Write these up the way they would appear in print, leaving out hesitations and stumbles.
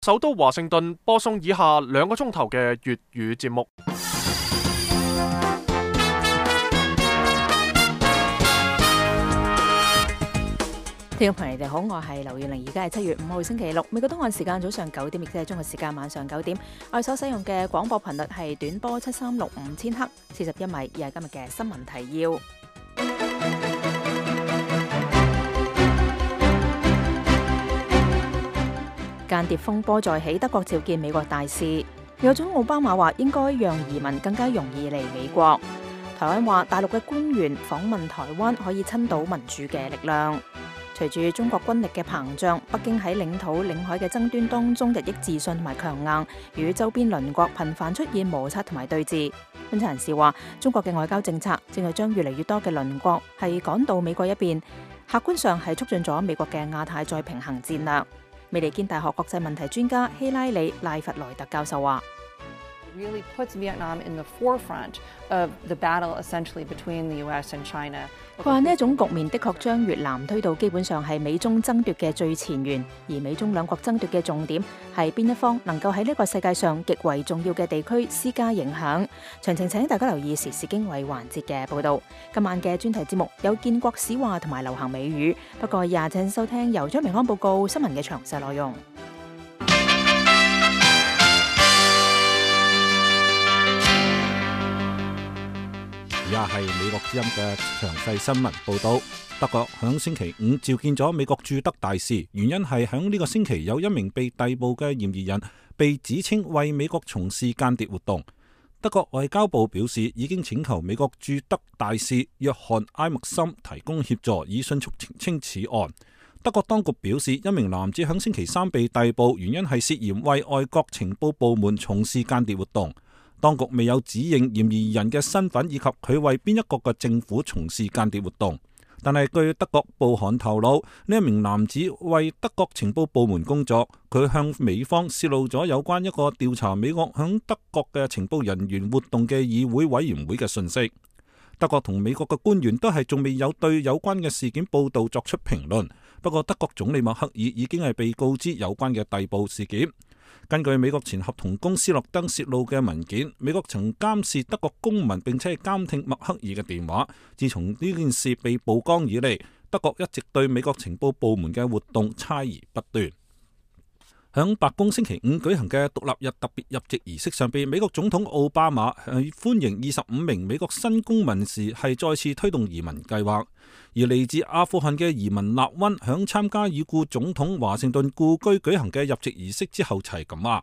首都華盛頓播送以下2個鐘頭嘅粵語節目。聽眾朋友，你哋好，我係劉燕玲，而家係7月5號星期六，美國東岸時間早上9點，亦即係中國時間晚上9點。我哋所使用嘅廣播頻率係短波7365千赫，41米，而係今日嘅新聞提要。間諜風波再起，德國召見美國大使。美國總統奧巴馬話應該讓移民更加容易嚟美國。台灣話大陸嘅官員訪問台灣可以親到民主嘅力量。隨住中國軍力嘅膨脹，北京喺領土領海嘅爭端當中日益自信同埋強硬，與周邊鄰國頻繁出現摩擦同埋對峙。分析人士話，中國嘅外交政策正係將越嚟越多嘅鄰國係趕到美國一邊，客觀上係促進咗美國嘅亞太再平衡戰略。美利堅大學國際問題專家希拉里賴弗萊特教授話really puts Vietnam in the forefront of the battle essentially between the US and China. 佢話呢一種局面的確將越南推到基本上係美中爭奪嘅最前沿，而美中兩國爭奪嘅重點係邊一方能夠喺呢個世界上極為重要嘅地區施加影響。詳情請大家留意時事經緯環節嘅報導。今晚嘅專題節目有建國史話同埋流行美語，不過請收聽由張明安報告新聞嘅詳細內容。而家係美國之音嘅詳細新聞報導。德國響星期5召見咗美國駐德大使，原因係響呢個星期有一名被逮捕嘅嫌疑人被指稱為美國從事間諜活動。德國外交部表示已經請求美國駐德大使約翰埃默森提供協助，以迅速澄清此案。德國當局表示，一名男子響星期3被逮捕，原因係涉嫌為外國情報部門從事間諜活動。當局未有指認嫌疑人嘅身份以及佢為邊一國嘅政府從事間諜活動，但係據德國報刊透露，呢一名男子為德國情報部門工作，佢向美方泄露咗有關一個調查美國響德國嘅情報人員活動嘅議會委員會嘅信息。德國同美國嘅官員都係仲未有對有關嘅事件報道作出評論，不過德國總理默克爾已經係被告知有關嘅逮捕事件。根據美國前合同工斯諾登泄露嘅文件，美國曾監視德國公民並且係監聽默克爾嘅電話。自從呢件事被曝光以嚟，德國一直對美國情報部門嘅活動猜疑不斷。響白宮星期5舉行嘅獨立日特別入籍儀式上邊，美國總統奧巴馬係歡迎25名美國新公民時係再次推動移民計劃。而嚟自阿富汗嘅移民納溫響參加已故總統華盛頓故居舉行嘅入籍儀式之後齊咁話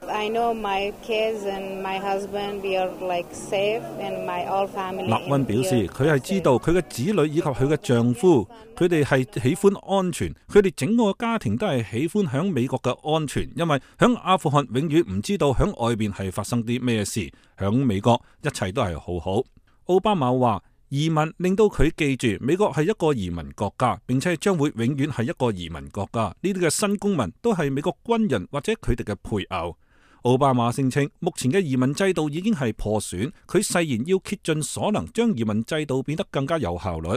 I know my kids and my husband, we are like safe and my all family. 納溫表示佢係知道佢嘅子女以及佢嘅丈夫，佢哋係喜歡安全，佢哋整個家庭都係喜歡響美國嘅安全，因為響阿富汗永遠唔知道響外邊係發生啲咩事，響美國一切都係好好。奧巴馬話移民令到佢記住美國係一個移民國家，並且將會永遠係一個移民國家。呢啲嘅新公民都係美國軍人或者佢哋嘅配偶。奧巴馬聲稱目前嘅移民制度已經係破損，佢誓言要竭盡所能將移民制度變得更加有效率。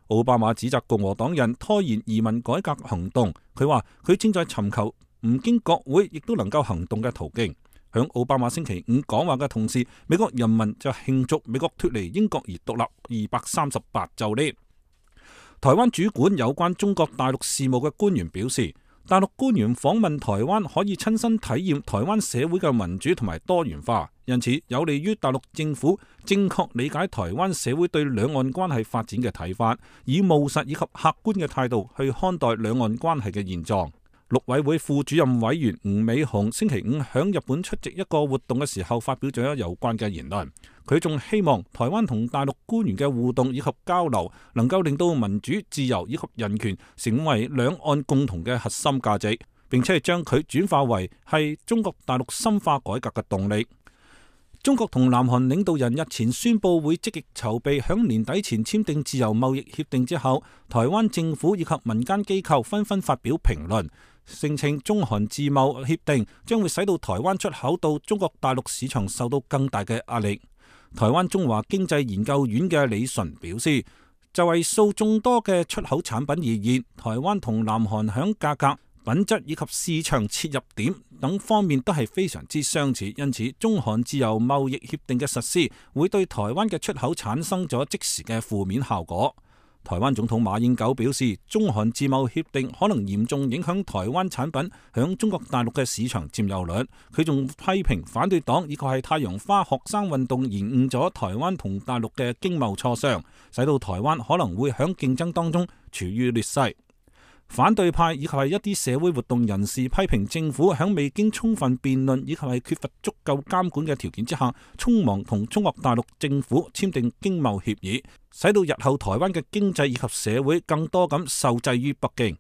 奧巴馬指責共和黨人拖延移民改革行動，佢話佢正在尋求唔經國會亦都能夠行動嘅途徑。響奧巴馬星期5講話嘅同時，美國人民就慶祝美國脫離英國而獨立238週年。台灣主管有關中國大陸事務嘅官員表示，大陸官員訪問台灣可以親身體驗台灣社會嘅民主同埋多元化，因此有利於大陸政府正確理解台灣社會對兩岸關係發展嘅睇法，以務實以及客觀嘅態度去看待兩岸關係嘅現狀。陸委會副主任委員吳美雄星期5響日本出席一個活動嘅時候發表咗有關嘅言論，佢仲希望台灣同大陸官員嘅互動以及交流能夠令到民主、自由以及人權成為兩岸共同嘅核心價值，並且係將佢轉化為係中國大陸深化改革嘅動力。中國同南韓領導人日前宣布會積極籌備響年底前簽訂自由貿易協定之後，台灣政府以及民間機構紛紛發表評論，聲稱中韓自貿協定將會使到台灣出口到中國大陸市場受到更大嘅壓力。台灣中華經濟研究院嘅李淳表示，就係數眾多嘅出口產品而言，台灣同南韓響價格、品質以及市場切入點等方面都係非常之相似，因此中韓自由貿易協定嘅實施會對台灣嘅出口產生咗即時嘅負面效果。台灣總統馬英九表示，中韓自貿協定可能嚴重影響台灣產品響中國大陸嘅市場佔有率。佢仲批評反對黨以及係太陽花學生運動延誤咗台灣同大陸嘅經貿磋商，使到台灣可能會響競爭當中處於劣勢。反對派以及係一啲社會活動人士批評政府響未經充分辯論以及係缺乏足夠監管嘅條件之下，匆忙同中國大陸政府簽訂經貿協議，使到日後台灣嘅經濟以及社會更多咁受制於北京。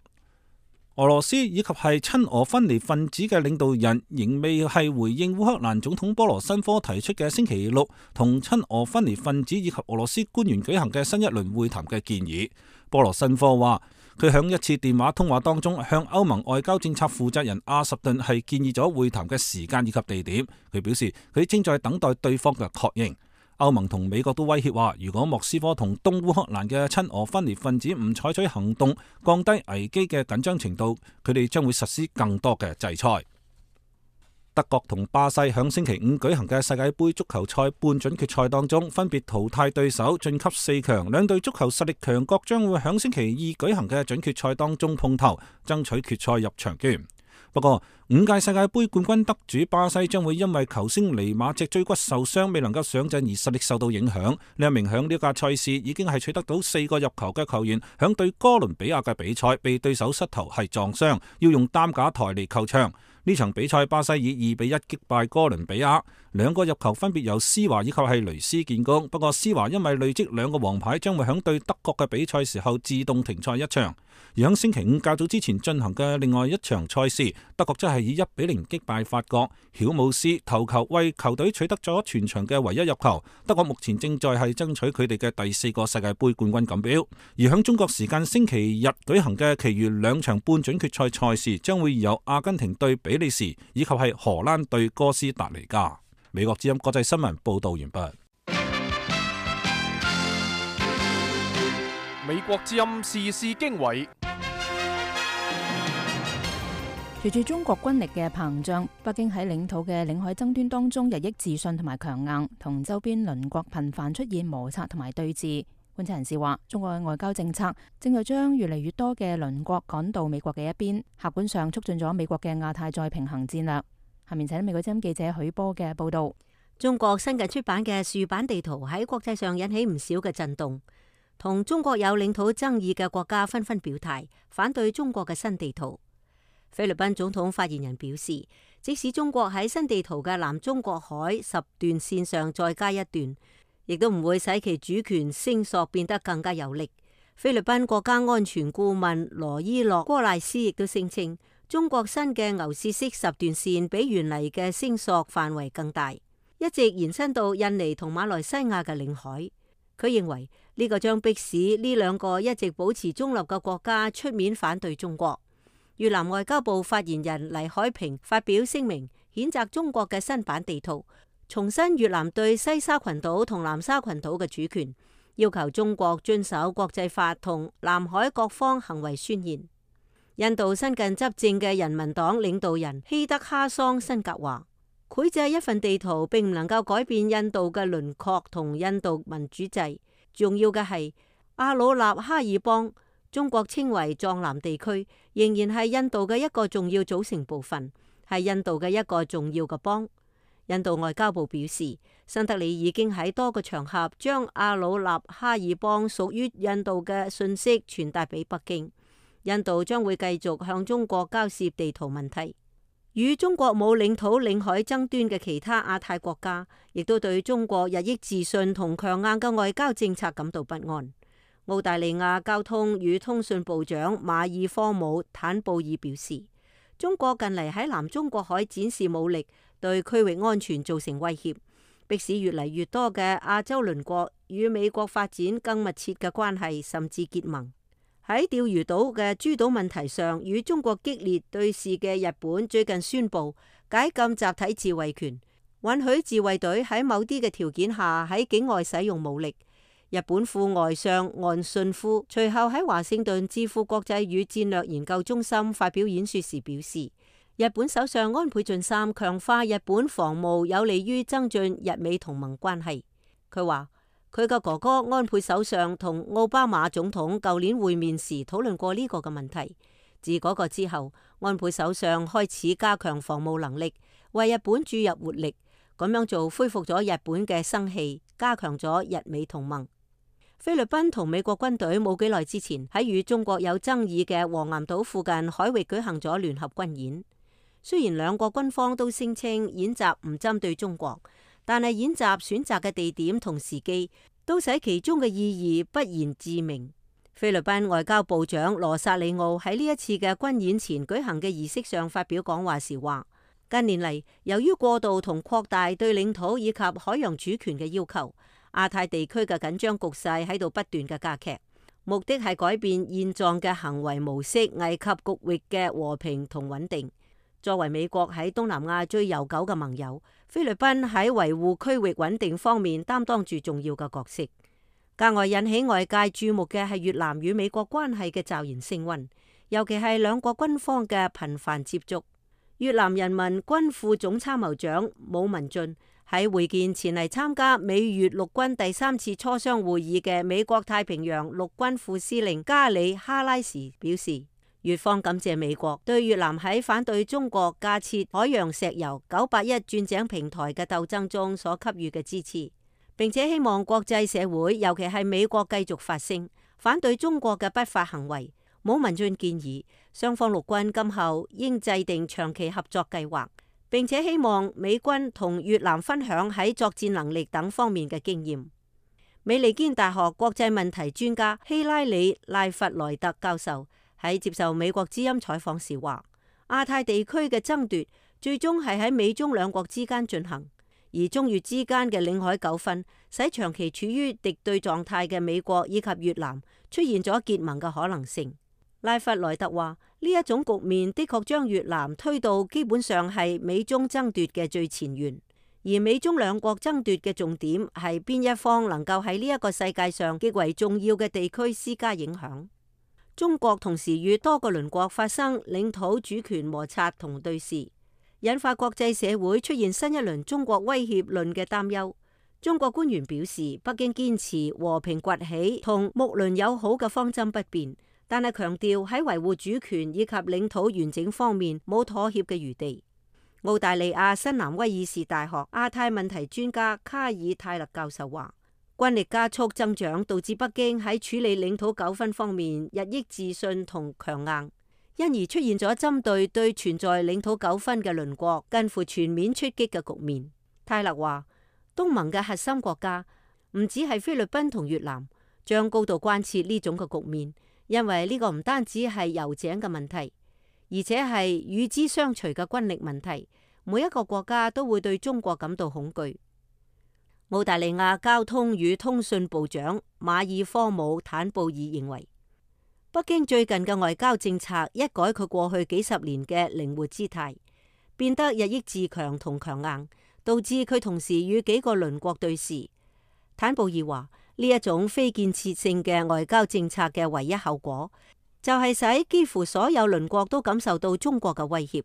俄羅斯以及係親俄分離分子嘅領導人仍未係回應烏克蘭總統波羅申科提出嘅星期六同親俄分離分子以及俄羅斯官員舉行嘅新一輪會談嘅建議。波羅申科話，佢響一次電話通話當中向歐盟外交政策負責人阿什頓係建議咗會談嘅時間以及地點。佢表示佢正在等待對方嘅確認。歐盟同美國都威脅話，如果莫斯科同東烏克蘭嘅親俄分離分子唔採取行動，降低危機嘅緊張程度，佢哋將會實施更多嘅制裁。德國同巴西響星期五舉行嘅世界盃足球賽半準決賽當中，分別淘汰對手晉級4強。兩隊足球實力強國將會響星期二舉行嘅準決賽當中碰頭，爭取決賽入場券。不過5屆世界盃冠軍得主巴西將會因為球星尼馬脊椎骨受傷，未能夠上陣而實力受到影響。呢一名響呢屆賽事已經係取得到4個入球嘅球員，響對哥倫比亞嘅比賽被對手膝頭係撞傷，要用擔架抬離球場。呢場比賽巴西以2-1擊敗哥倫比亞，2個入球分別由施華以及係雷斯建功。不過施華因為累積2個黃牌，將會響對德國嘅比賽時候自動停賽一場。而響星期五較早之前進行嘅另外一場賽事，德國則係以1-0擊敗法國，曉姆斯頭球為球隊取得咗全場嘅唯一入球。德國目前正在係爭取佢哋嘅第4個世界盃冠軍錦標。而響中國時間星期日舉行嘅其餘2場半準決賽賽事，將會由阿根廷對比利時以及係荷蘭對哥斯達黎加。美國之音國際新聞報道完畢。美國之音時事經緯。隨住中國軍力嘅膨脹，北京喺領土嘅領海爭端當中日益自信同埋強硬，同周邊鄰國頻繁出現摩擦同埋對峙。觀察人士話，中國嘅外交政策正在將越嚟越多嘅鄰國趕到美國嘅一邊，客觀上促進咗美國嘅亞太再平衡戰略。下面請美國之音記者許波嘅報道。中國新近出版嘅豎版地圖喺國際上引起唔少嘅震動，同中國有領土爭議嘅國家紛紛表態反對中國嘅新地圖。菲律賓總統發言人表示，即使中國喺新地圖嘅南中國海10段線上再加一段，亦都唔會使其主權聲索變得更加有力。菲律賓國家安全顧問羅伊洛戈賴斯亦都聲稱，中國新嘅牛屎式10段線比原嚟嘅聲索範圍更大，一直延伸到印尼同馬來西亞嘅領海。佢認為呢個將迫使呢2個一直保持中立嘅國家出面反對中國。越南外交部發言人黎海平發表聲明，譴責中國嘅新版地圖，重申越南對西沙群島同南沙群島嘅主權，要求中國遵守國際法同南海各方行為宣言。印度新近執政嘅人民黨領導人希德哈桑辛格話，繪製一份地圖並唔能夠改變印度嘅輪廓同印度民主制，重要嘅係阿魯納哈爾邦，中國稱為藏南地區，仍然係印度嘅一個重要組成部分，係印度嘅一個重要嘅邦。印度外交部表示，新德里已經喺多個場合將阿魯納哈爾邦屬於印度嘅信息傳達俾北京。印度將會繼續向中國交涉地圖問題。與中國冇領土領海爭端嘅其他亞太國家，亦都對中國日益自信同強硬嘅外交政策感到不安。澳大利亞交通與通訊部長馬爾科姆坦布爾表示，中國近嚟喺南中國海展示武力，對區域安全造成威脅，迫使越嚟越多嘅亞洲鄰國與美國發展更密切嘅關係，甚至結盟。喺釣魚島嘅諸島問題上，與中國激烈對峙嘅日本最近宣布解禁集體自衛權，允許自衛隊喺某啲嘅條件下喺境外使用武力。日本副外相岸信夫隨後喺華盛頓智庫國際與戰略研究中心發表演說時表示，日本首相安倍晉三強化日本防務有利於增進日美同盟關係。佢話佢嘅哥哥安倍首相同奧巴馬總統舊年會面時討論過呢個嘅問題。自嗰個之後，安倍首相開始加強防務能力，為日本注入活力。咁樣做恢復咗日本嘅生氣，加強咗日美同盟。菲律賓同美國軍隊冇幾耐之前喺與中國有爭議嘅黃岩島附近海域舉行咗聯合軍演。雖然兩國軍方都聲稱演習唔針對中國，但係演習選擇嘅地點同時機都使其中嘅意義不言自明。菲律賓外交部長羅薩里奧喺呢一次嘅軍演前舉行嘅儀式上發表講話時話，近年嚟，由於過度同擴大對領土以及海洋主權嘅要求，亞太地區嘅緊張局勢喺度不斷嘅加劇，目的係改變現狀嘅行為模式，危及局域嘅和平同穩定。作為美國喺東南亞最悠久嘅盟友，菲律賓喺維護區域穩定方面擔當住重要嘅角色。格外引起外界注目嘅係越南與美國關係嘅驟然升溫，尤其係兩國軍方嘅頻繁接觸。越南人民軍副總參謀長武文俊喺會見前嚟參加美越陸軍第3次磋商會議嘅美國太平洋陸軍副司令加里哈拉時表示，越方感謝美國對越南喺反對中國架設海洋石油981鑽井平台嘅鬥爭中所給予嘅支持，並且希望國際社會，尤其係美國繼續發聲，反對中國嘅不法行為。武文俊建議雙方陸軍今後應制定長期合作計劃，並且希望美軍同越南分享喺作戰能力等方面嘅經驗。美利堅大學國際問題專家希拉里賴弗萊特教授喺接受美國之音採訪時話，亞太地區嘅爭奪最終係喺美中兩國之間進行，而中越之間嘅領海糾紛使長期處於敵對狀態嘅美國以及越南出現咗結盟嘅可能性。賴弗萊特話，呢一種局面的確將越南推到基本上係美中爭奪嘅最前沿，而美中兩國爭奪嘅重點係邊一方能夠喺呢一個世界上極為重要嘅地區施加影響。中國同時與多個鄰國發生領土主權摩擦同對峙，引發國際社會出現新一輪中國威脅論嘅擔憂。中國官員表示，北京堅持和平崛起同睦鄰友好嘅方針不變，但係強調喺維護主權以及領土完整方面冇妥協嘅餘地。澳大利亞新南威爾士大學亞太問題專家卡爾泰勒教授話，軍力加速增長導致北京喺處理領土糾紛方面日益自信同強硬，因而出現咗針對存在領土糾紛嘅鄰國近乎全面出擊嘅局面。泰勒話，東盟嘅核心國家唔止係菲律賓同越南，將高度關切呢種嘅局面。因為呢個唔單止係油井嘅問題，而且係與之相隨嘅軍力問題。每一個國家都會對中國感到恐懼。澳大利亞交通與通訊部長馬爾科姆坦布爾認為，北京最近嘅外交政策一改佢過去幾十年嘅靈活姿態，變得日益自強同強硬，導致佢同時與幾個鄰國對峙。坦布爾話，呢一種非建設性嘅外交政策嘅唯一後果，就係使幾乎所有鄰國都感受到中國嘅威脅，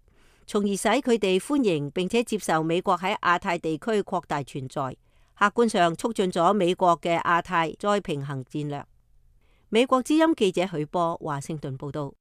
從而使佢哋歡迎並且接受美國喺亞太地區擴大存在，客觀上促進咗美國嘅亞太再平衡戰略。美國之音記者許波華盛頓報道。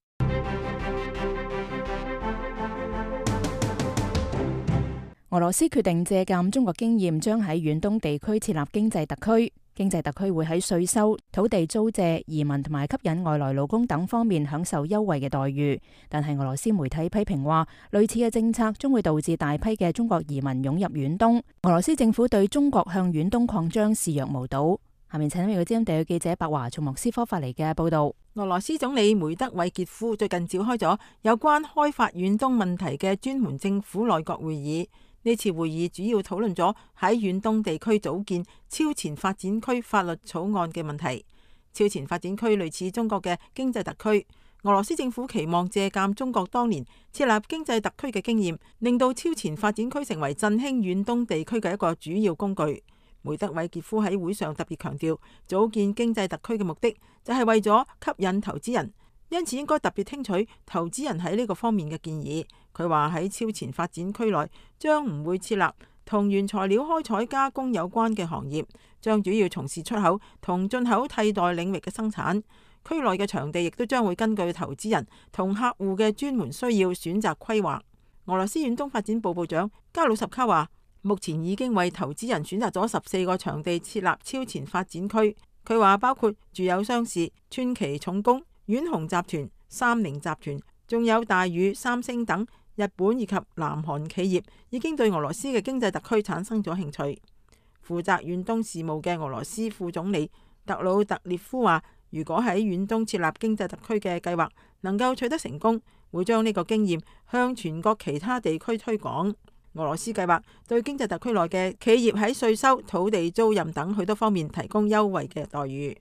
俄羅斯決定借鑒中國經驗，將喺遠東地區設立經濟特區。經濟特區會喺稅收、土地租借、移民同埋吸引外來勞工等方面享受優惠嘅待遇。但係俄羅斯媒體批評話，類似嘅政策將會導致大批嘅中國移民湧入遠東。俄羅斯政府對中國向遠東擴張視若無睹。下面請美國之音地區記者白華從莫斯科發嚟嘅報道。俄羅斯總理梅德韋傑夫最近召開咗有關開發遠東問題嘅專門政府內閣會議。呢次會議主要討論咗喺遠東地區組建超前發展區法律草案嘅問題。超前發展區類似中國嘅經濟特區，俄羅斯政府期望借鑒中國當年設立經濟特區嘅經驗，令到超前發展區成為振興遠東地區嘅一個主要工具。梅德韋傑夫喺會上特別強調，組建經濟特區嘅目的就係為咗吸引投資人，因此應該特別聽取投資人喺呢個方面嘅建議。佢話喺超前發展區內將唔會設立同原材料開採加工有關嘅行業，將主要從事出口同進口替代領域嘅生產。區內嘅場地亦都將會根據投資人同客戶嘅專門需要選擇規劃。俄羅斯遠東發展部部長加魯什卡話，目前已經為投資人選擇咗14個場地設立超前發展區。佢話包括住友商事、川崎重工、遠紅集團、三菱集團，仲有大宇、三星等日本以及南韓企業已經對俄羅斯嘅經濟特區產生咗興趣。負責遠東事務嘅俄羅斯副總理特魯特列夫話，如果喺遠東設立經濟特區嘅計劃能夠取得成功，會將呢個經驗向全國其他地區推廣。俄羅斯計劃對經濟特區內嘅企業喺稅收、土地租賃等許多方面提供優惠嘅待遇。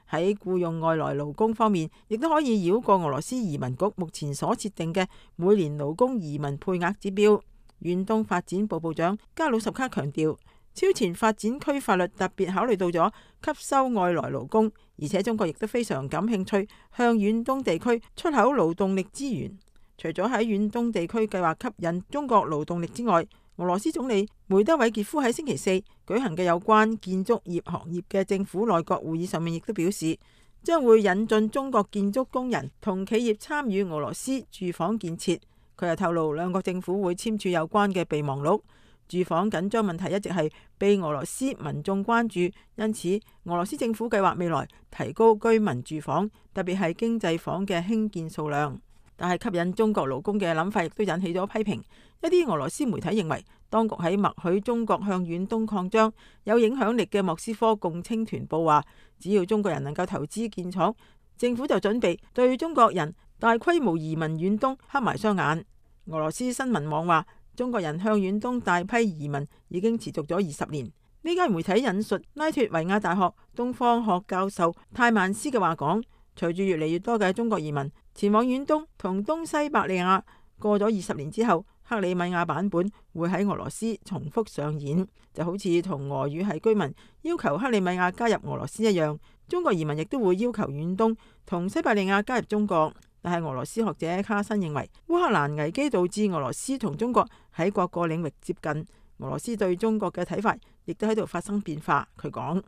喺僱用外來勞工方面，亦都可以繞過俄羅斯移民局目前所設定嘅每年勞工移民配額指標。遠東發展部部長加魯什卡強調，超前發展區法律特別考慮到咗吸收外來勞工，而且中國亦都非常感興趣向遠東地區出口勞動力資源。除咗喺遠東地區計劃吸引中國勞動力之外，俄羅斯總理梅德韋傑夫喺星期四舉行嘅有關建築業行業嘅政府內閣會議上面，亦都表示將會引進中國建築工人同企業參與俄羅斯住房建設。佢又透露，兩國政府會簽署有關嘅備忘錄。住房緊張問題一直係被俄羅斯民眾關注，因此俄羅斯政府計劃未來提高居民住房，特別係經濟房嘅興建數量。但係吸引中國勞工嘅諗法亦都引起咗批評。一啲俄羅斯媒體認為，當局喺默許中國向遠東擴張。有影響力嘅莫斯科共青團報話，只要中國人能夠投資建廠，政府就準備對中國人大規模移民遠東黑埋雙眼。俄羅斯新聞網話，中國人向遠東大批移民已經持續咗20年。呢間媒體引述拉脫維亞大學東方學教授泰曼斯嘅話講，隨住越嚟越多嘅中國移民前往遠東同東西伯利亞，過咗20年之後，克里米亞版本會喺俄羅斯重複上演，就好似同俄語系居民要求克里米亞加入俄羅斯一樣，中國移民亦都會要求遠東同西伯利亞加入中國。但係俄羅斯學者卡申認為，烏克蘭危機導致俄羅斯同中國喺各個領域接近，俄羅斯對中國嘅睇法亦都喺度發生變化。佢講。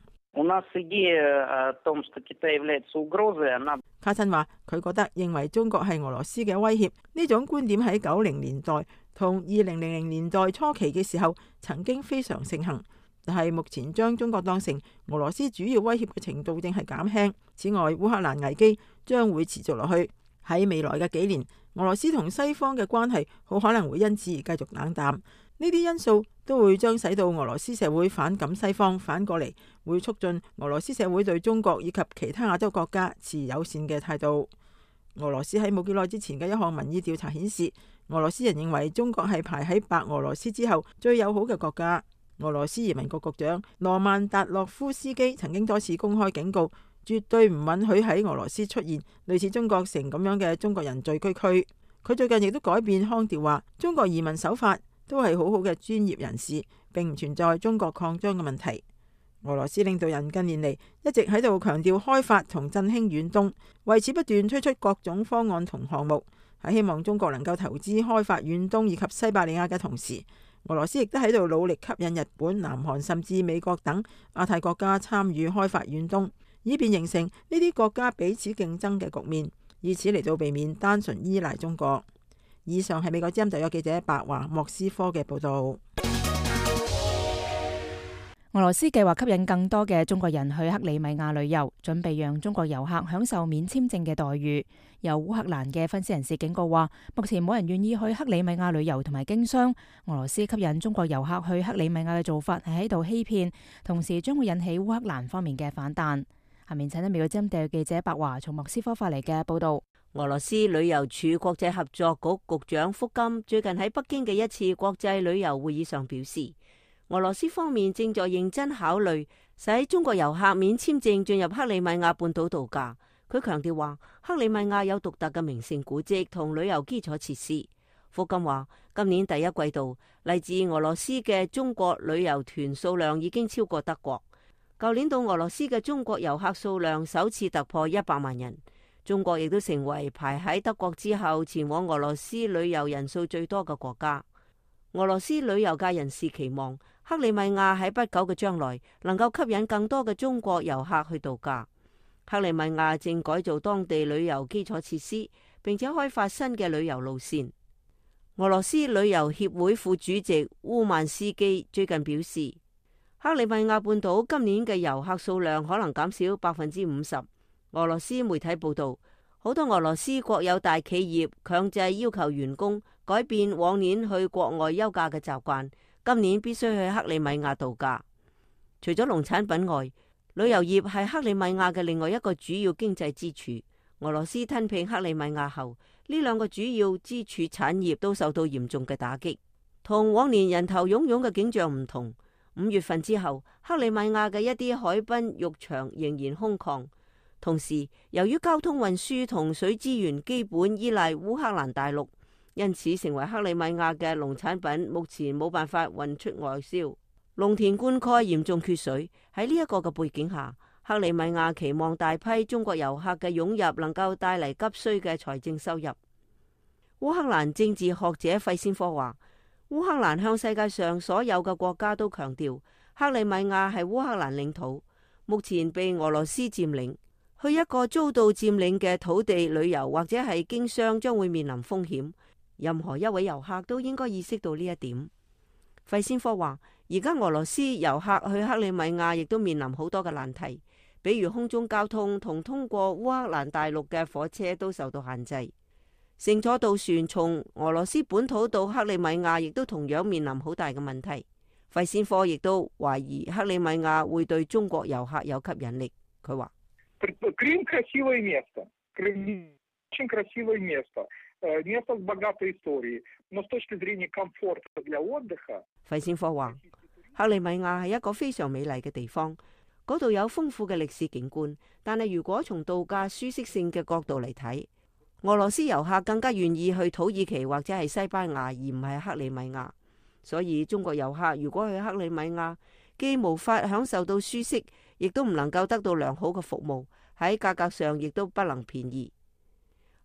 卡申話：佢覺得認為中國係俄羅斯嘅威脅，呢種觀點喺90年代同2000年代初期嘅時候曾經非常盛行，但係目前將中國當成俄羅斯主要威脅嘅程度正係減輕。此外，烏克蘭危機將會持續落去，喺未來嘅幾年，俄羅斯同西方嘅關係好可能會因此而繼續冷淡。呢啲因素都會將使到俄羅斯社會反感西方，反過嚟會促進俄羅斯社會對中國以及其他亞洲國家持友善嘅態度。俄羅斯喺冇幾耐之前嘅一項民意調查顯示，俄羅斯人認為中國係排喺白俄羅斯之後最友好嘅國家。俄羅斯移民局局長羅曼達洛夫斯基曾經多次公開警告，絕對唔允許喺俄羅斯出現類似中國城咁樣嘅中國人聚居區。佢最近亦都改變腔調話，中國移民手法都係好好嘅專業人士，並唔存在中國擴張嘅問題。俄羅斯領導人近年嚟一直喺度強調開發同振興遠東，為此不斷推出各種方案同項目，係希望中國能夠投資開發遠東以及西伯利亞嘅同時，俄羅斯亦都喺度努力吸引日本、南韓甚至美國等亞太國家參與開發遠東，以便形成呢啲國家彼此競爭嘅局面，以此嚟到避免單純依賴中國。以上係美國之音特約記者白華莫斯科嘅報道。俄羅斯計劃吸引更多嘅中國人去克里米亞旅遊，準備讓中國遊客享受免簽證嘅待遇。有烏克蘭嘅分析人士警告話，目前冇人願意去克里米亞旅遊同埋經商。俄羅斯吸引中國遊客去克里米亞嘅做法係喺度欺騙，同時將會引起烏克蘭方面嘅反彈。下面請睇美國之音特約記者白華從莫斯科發嚟嘅報道。俄羅斯旅遊署國際合作局局長福金最近喺北京嘅一次國際旅遊會議上表示，俄羅斯方面正在認真考慮使中國遊客免簽證進入克里米亞半島度假。佢強調話，克里米亞有獨特嘅名勝古蹟同旅遊基礎設施。福金話，今年第一季度嚟自俄羅斯嘅中國旅遊團數量已經超過德國。舊年到俄羅斯嘅中國遊客數量首次突破100萬人，中國亦都成為排喺德國之後前往俄羅斯旅遊人數最多嘅國家。俄羅斯旅遊界人士期望克里米亞喺不久嘅將來能夠吸引更多嘅中國遊客去度假。克里米亞正改造當地旅遊基礎設施，並且開發新嘅旅遊路線。俄羅斯旅遊協會副主席烏曼斯基最近表示，克里米亞半島今年嘅遊客數量可能減少50%。俄羅斯媒體報道，好多俄羅斯國有大企業強制要求員工改變往年去國外休假嘅習慣，今年必須去克里米亞度假。除咗農產品外，旅遊業係克里米亞嘅另外一個主要經濟支柱。俄羅斯吞併克里米亞後，呢兩個主要支柱產業都受到嚴重嘅打擊。同往年人頭湧湧嘅景象唔同，5月份之後，克里米亞嘅一啲海濱浴場仍然空曠。同時，由於交通運輸同水資源基本依賴烏克蘭大陸，因此成為克里米亞嘅農產品目前冇辦法運出外銷，農田灌溉嚴重缺水。喺呢一個嘅背景下，克里米亞期望大批中國遊客嘅湧入能夠帶嚟急需嘅財政收入。烏克蘭政治學者費先科話，烏克蘭向世界上所有嘅國家都強調，克里米亞係烏克蘭領土，目前被俄羅斯佔領。去一個遭到佔領嘅土地旅遊或者係經商將會面臨風險，任何一位遊客都應該意識到呢一點。費先科話，而家俄羅斯遊客去克里米亞亦都面臨好多嘅難題，比如空中交通同通過烏克蘭大陸嘅火車都受到限制，乘坐渡船從俄羅斯本土到克里米亞亦都同樣面臨好大嘅問題。費先科亦都懷疑克里米亞會對中國遊客有吸引力。佢話，Крым красивое место. Крым очень красивое место. Место с богатой историей. Но с точки зрения комфорта для отдыха. 費先科話，克里米亞係一個非常美麗嘅地方，嗰度有豐富嘅歷史景觀。但係如果從度假舒適性嘅角度嚟睇，俄羅斯遊客更加願意去土耳其或者係西班牙，而唔係克里米亞。所以中國遊客如果去克里米亞，既無法享受到舒適，亦都唔能夠得到良好嘅服務，喺價格上亦都不能便宜。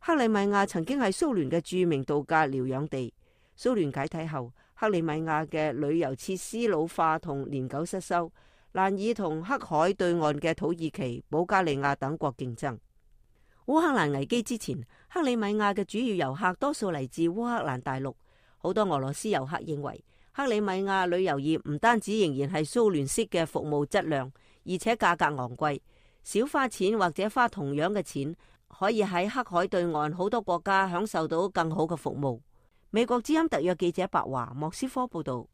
克里米亞曾經係蘇聯嘅著名度假療養地，蘇聯解體後，克里米亞嘅旅遊設施老化同年久失修，難以同黑海對岸嘅土耳其、保加利亞等國競爭。烏克蘭危機之前，克里米亞嘅主要遊客多數嚟自烏克蘭大陸，好多俄羅斯遊客認為，克里米亞旅遊業唔單止仍然係蘇聯式嘅服務質量，而且價格昂貴，少花錢或者花同樣嘅錢，可以喺黑海對岸好多國家享受到更好嘅服務。美國之音特約記者白華莫斯科報道。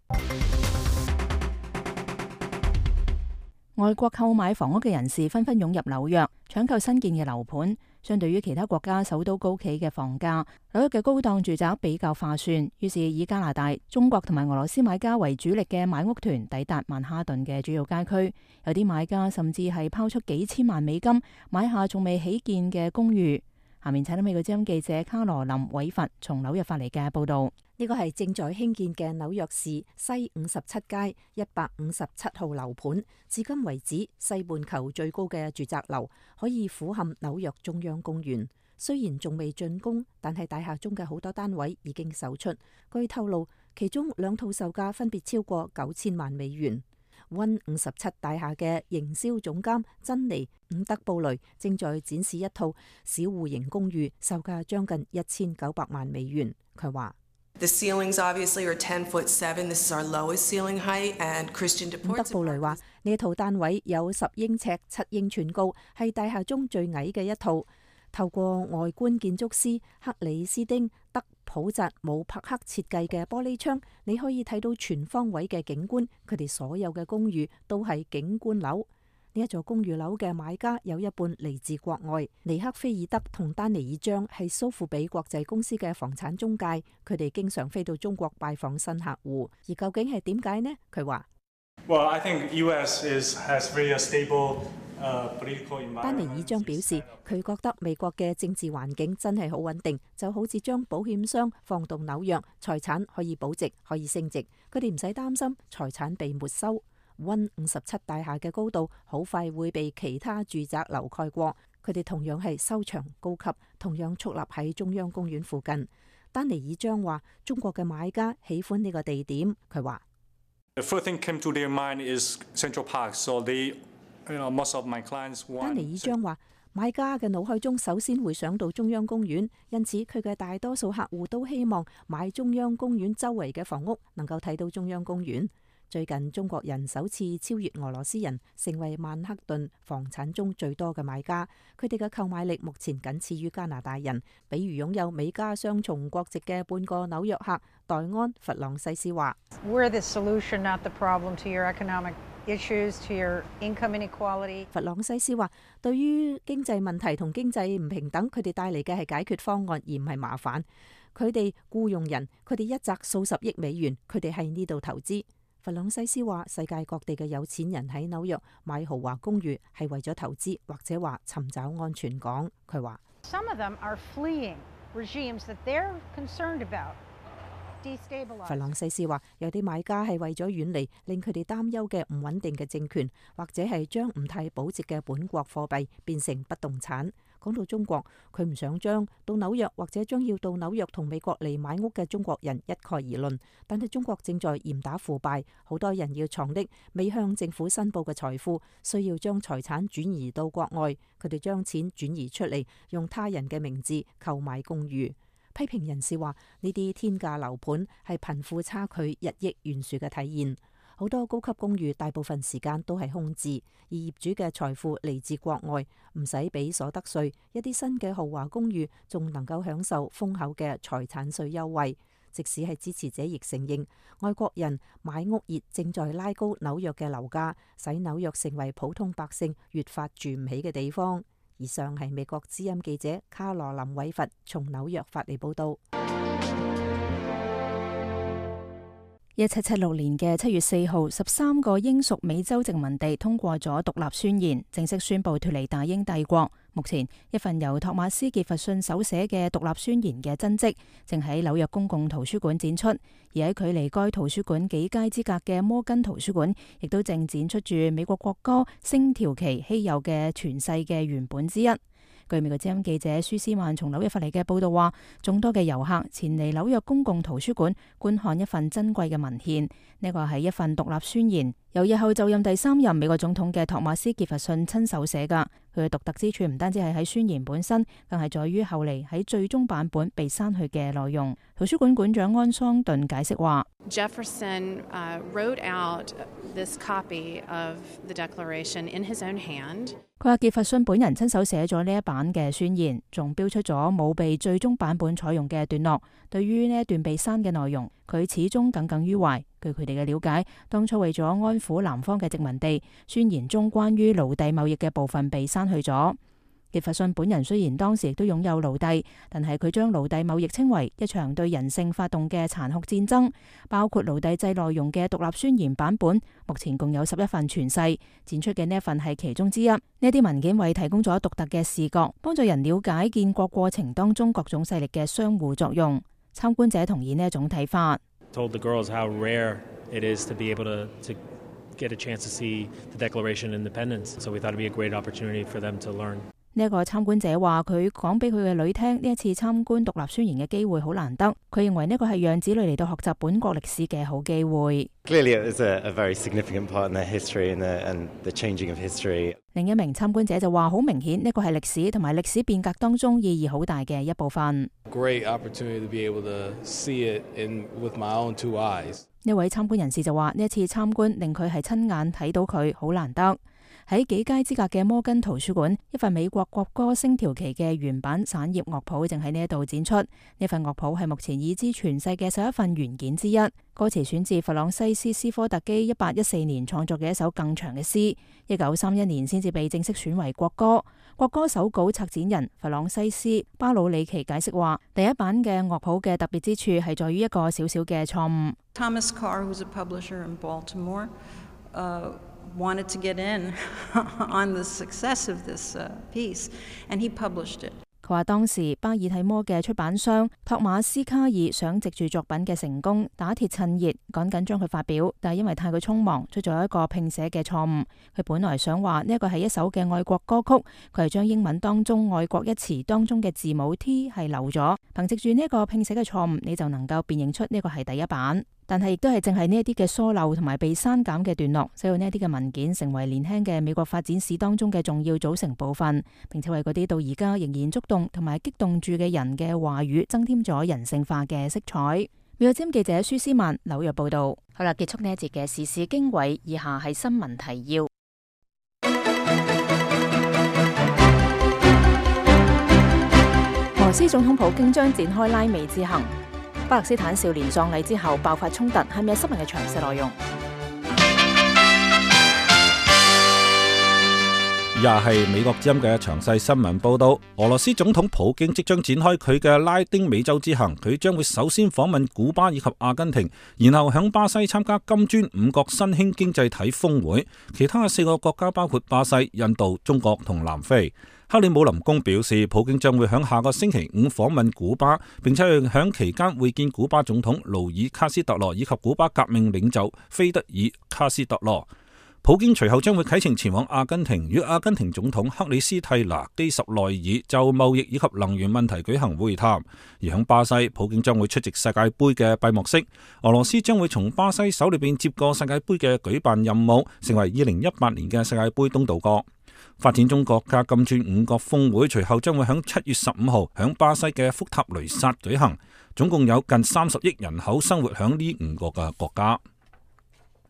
外國購買房屋嘅人士紛紛湧入紐約，搶購新建嘅樓盤。相對於其他國家首都高企嘅房價，紐約嘅高檔住宅比較划算。於是以加拿大、中國同埋俄羅斯買家為主力嘅買屋團抵達曼哈頓嘅主要街區，有啲買家甚至係拋出幾千萬美金買下仲未起建嘅公寓。下面請到美國之音記者卡羅琳韋佛從紐約發嚟嘅報道。呢個係正在興建嘅紐約市西57街157號樓盤，至今為止西半球最高嘅住宅樓，可以俯瞰紐約中央公園。雖然仲未竣工，但係大廈中嘅好多單位已經售出。據透露，其中2套售價分別超過9000萬美元。One 57大廈嘅營銷總監珍妮伍德布雷正在展示一套小戶型公寓，售價將近1900萬美元。佢話：The ceilings obviously are 10'7". This is our lowest ceiling height. And Christian Deportes。伍德布雷話：呢套單位有10英尺7英寸高，係大廈中最矮嘅一套。透過外觀建築師克里斯丁德普扎姆帕克設計嘅玻璃窗，你可以睇到全方位嘅景觀。佢哋所有嘅公寓都係景觀樓。呢一座公寓樓嘅買家有一半嚟自國外。尼克菲爾德同丹尼爾張係蘇富比國際公司嘅房產中介，佢哋經常飛到中國拜訪新客戶。而究竟係點解呢？佢話： Well, I think US has very stable 丹尼爾章表示，佢覺得美國嘅政治環境真係好穩定，就好似將保險箱放到紐約，財產可以保值，可以升值，佢哋唔使擔心財產被沒收。溫57大廈嘅高度好快會被其他住宅樓蓋過，佢哋同樣係修長高級，同樣矗立喺中央公園附近。丹尼爾章話：中國嘅買家喜歡呢個地點。佢話：丹尼爾章話，買家嘅腦海中首先會想到中央公園，因此佢嘅大多數客戶都希望買中央公園周圍嘅房屋，能夠睇到中央公園。最近中國人首次超越俄羅斯人，成為曼克頓房產中最多嘅買家。佢哋嘅購買力目前僅次於加拿大人。比如擁有美加雙重國籍嘅半個紐約客黛安·弗朗西斯話：弗朗西斯話，對於經濟問題同經濟唔平等，佢哋帶嚟嘅係解決方案，而唔係麻煩。佢哋僱用人，佢哋一擲數十億美元，佢哋喺呢度投資。弗朗西斯話：世界各地嘅有錢人喺紐約買豪華公寓係為咗投資，或者話尋找安全港。佢話：弗朗西斯話，有啲買家係為咗遠離令佢哋擔憂嘅唔穩定嘅政權，或者係將唔太保值嘅本國貨幣變成不動產。講到中國，佢唔想將到紐約或者將要到紐約同美國嚟買屋嘅中國人一概而論，但係中國正在嚴打腐敗，好多人要藏匿未向政府申報嘅財富，需要將財產轉移到國外，佢哋將錢轉移出嚟，用他人嘅名字購買公寓。批評人士話，呢啲天價樓盤係貧富差距日益懸殊嘅體現。好多高級公寓大部分時間都係空置，而業主嘅財富嚟自國外，唔使俾所得稅。一啲新嘅豪華公寓仲能夠享受豐厚嘅財產稅優惠。即使係支持者亦承認，外國人買屋熱正在拉高紐約嘅樓價，使紐約成為普通百姓越發住唔起嘅地方。以上係美國之音記者卡羅琳·韋佛從紐約發嚟報道。1776年嘅7月4號，13個英屬美洲殖民地通過咗獨立宣言，正式宣布脫離大英帝國。目前，一份由托馬斯·傑弗遜手寫嘅獨立宣言嘅真跡，正喺紐約公共圖書館展出。而喺距離該圖書館幾街之隔嘅摩根圖書館，亦都正展出住美國國歌《星條旗》稀有嘅傳世嘅原本之一。據美國之音記者舒斯曼從紐約發嚟嘅報道話，眾多嘅遊客前嚟紐約公共圖書館觀看一份珍貴嘅文獻，呢個係一份獨立宣言，由日後就任第3任美國總統嘅托馬斯·傑弗遜親手寫㗎。佢嘅獨特之處唔單止係喺宣言本身，更係在於後嚟喺最終版本被刪去嘅內容。圖書館館長安桑頓解釋話：Jefferson wrote out this copy of the Declaration in his own hand。佢話傑弗遜本人親手寫咗呢一版嘅宣言，仲標出咗冇被最終版本採用嘅段落。對於呢一段被刪嘅內容，佢始終耿耿於懷。據佢哋嘅了解，當初為咗安撫南方嘅殖民地，宣言中關於奴隸貿易嘅部分被刪去咗。傑弗遜本人雖然當時亦都擁有奴隸，但係佢將奴隸貿易稱為一場對人性發動嘅殘酷戰爭。包括奴隸制內容嘅獨立宣言版本，目前共有11份傳世，展出嘅呢一份係其中之一。呢啲文件為提供咗獨特嘅視覺，幫助人了解建國過程當中各種勢力嘅相互作用。參觀者同意呢一種睇法。Told the girls how rare it is to be able to get a chance to see the Declaration of Independence. So we thought it'd be a great opportunity for them to learn. 呢一個參觀者話：佢講俾佢嘅女聽，呢一次參觀獨立宣言嘅機會好難得。佢認為呢個係讓子女嚟到學習本國歷史嘅好機會。Clearly, it was a very significant part in their history and the changing of history. 另一名參觀者就話：好明顯，呢個係歷史同埋歷史變革當中意義好大嘅一部分。Great opportunity to be able to see it with my own 2 eyes. 呢位參觀人士就話：呢一次參觀令佢係親眼睇到佢，好難得。喺幾街之隔嘅摩根圖書館，一份美國國歌《星條旗》嘅原版散葉樂譜正喺呢一度展出。呢份樂譜係目前已知傳世嘅11份原件之一。歌詞選自弗朗西斯·斯科特基1814年創作嘅一首更長嘅詩，1931年先至被正式選為國歌。國歌手稿策展人弗朗西斯·巴魯里奇解釋話：第一版嘅樂譜嘅特別之處係在於一個小小嘅錯誤。Thomas Carr, who's a publisher in Baltimore, wanted to get in on the success of this piece, and he published it. 佢話當時巴爾蒂摩嘅出版商托馬斯卡爾想藉住作品嘅成功打鐵趁熱，趕緊將佢發表，但係因為太過匆忙，出咗一個拼寫嘅錯誤。佢本來想話呢一個係一首嘅愛國歌曲，佢係將英文當中愛國一詞當中嘅字母 T 係漏咗，憑藉住呢一個拼寫嘅錯誤，你就能夠辨認出呢個係第一版。但係亦都係淨係呢一啲嘅疏漏同埋被刪減嘅段落，使到呢一啲嘅文件成為年輕嘅美國發展史當中嘅重要組成部分，並且為嗰啲到而家仍然觸動同埋激動住嘅人嘅話語增添咗人性化嘅色彩。美國之音記者舒斯曼紐約報道。好啦，結束呢一節嘅時事經緯，以下係新聞提要。俄羅斯總統普京將展開拉美之行。巴勒斯坦少年葬禮之後爆發衝突，係咪有新聞嘅詳細內容？以下係美國之音嘅詳細新聞報道。俄羅斯總統普京即將展開佢嘅拉丁美洲之行，佢將會首先訪問古巴以及阿根廷，然後響巴西參加金磚五國新興經濟體峰會。其他嘅4個國家包括巴西、印度、中國同南非。克里姆林宮表示，普京將會喺下個星期5訪問古巴，並且喺期間會見古巴總統勞爾卡斯特羅以及古巴革命領袖菲德爾卡斯特羅。普京隨後將會啟程前往阿根廷，與阿根廷總統克里斯蒂娜基什內爾就貿易以及能源問題舉行會談。而喺巴西，普京將會出席世界盃嘅閉幕式。俄羅斯將會從巴西手裏邊接過世界盃嘅舉辦任務，成為2018年嘅世界盃東道國。發展中國家金磚五國峰會隨後將會喺7月15號喺巴西嘅福塔雷薩舉行，總共有近30億人口生活喺呢5個嘅國家。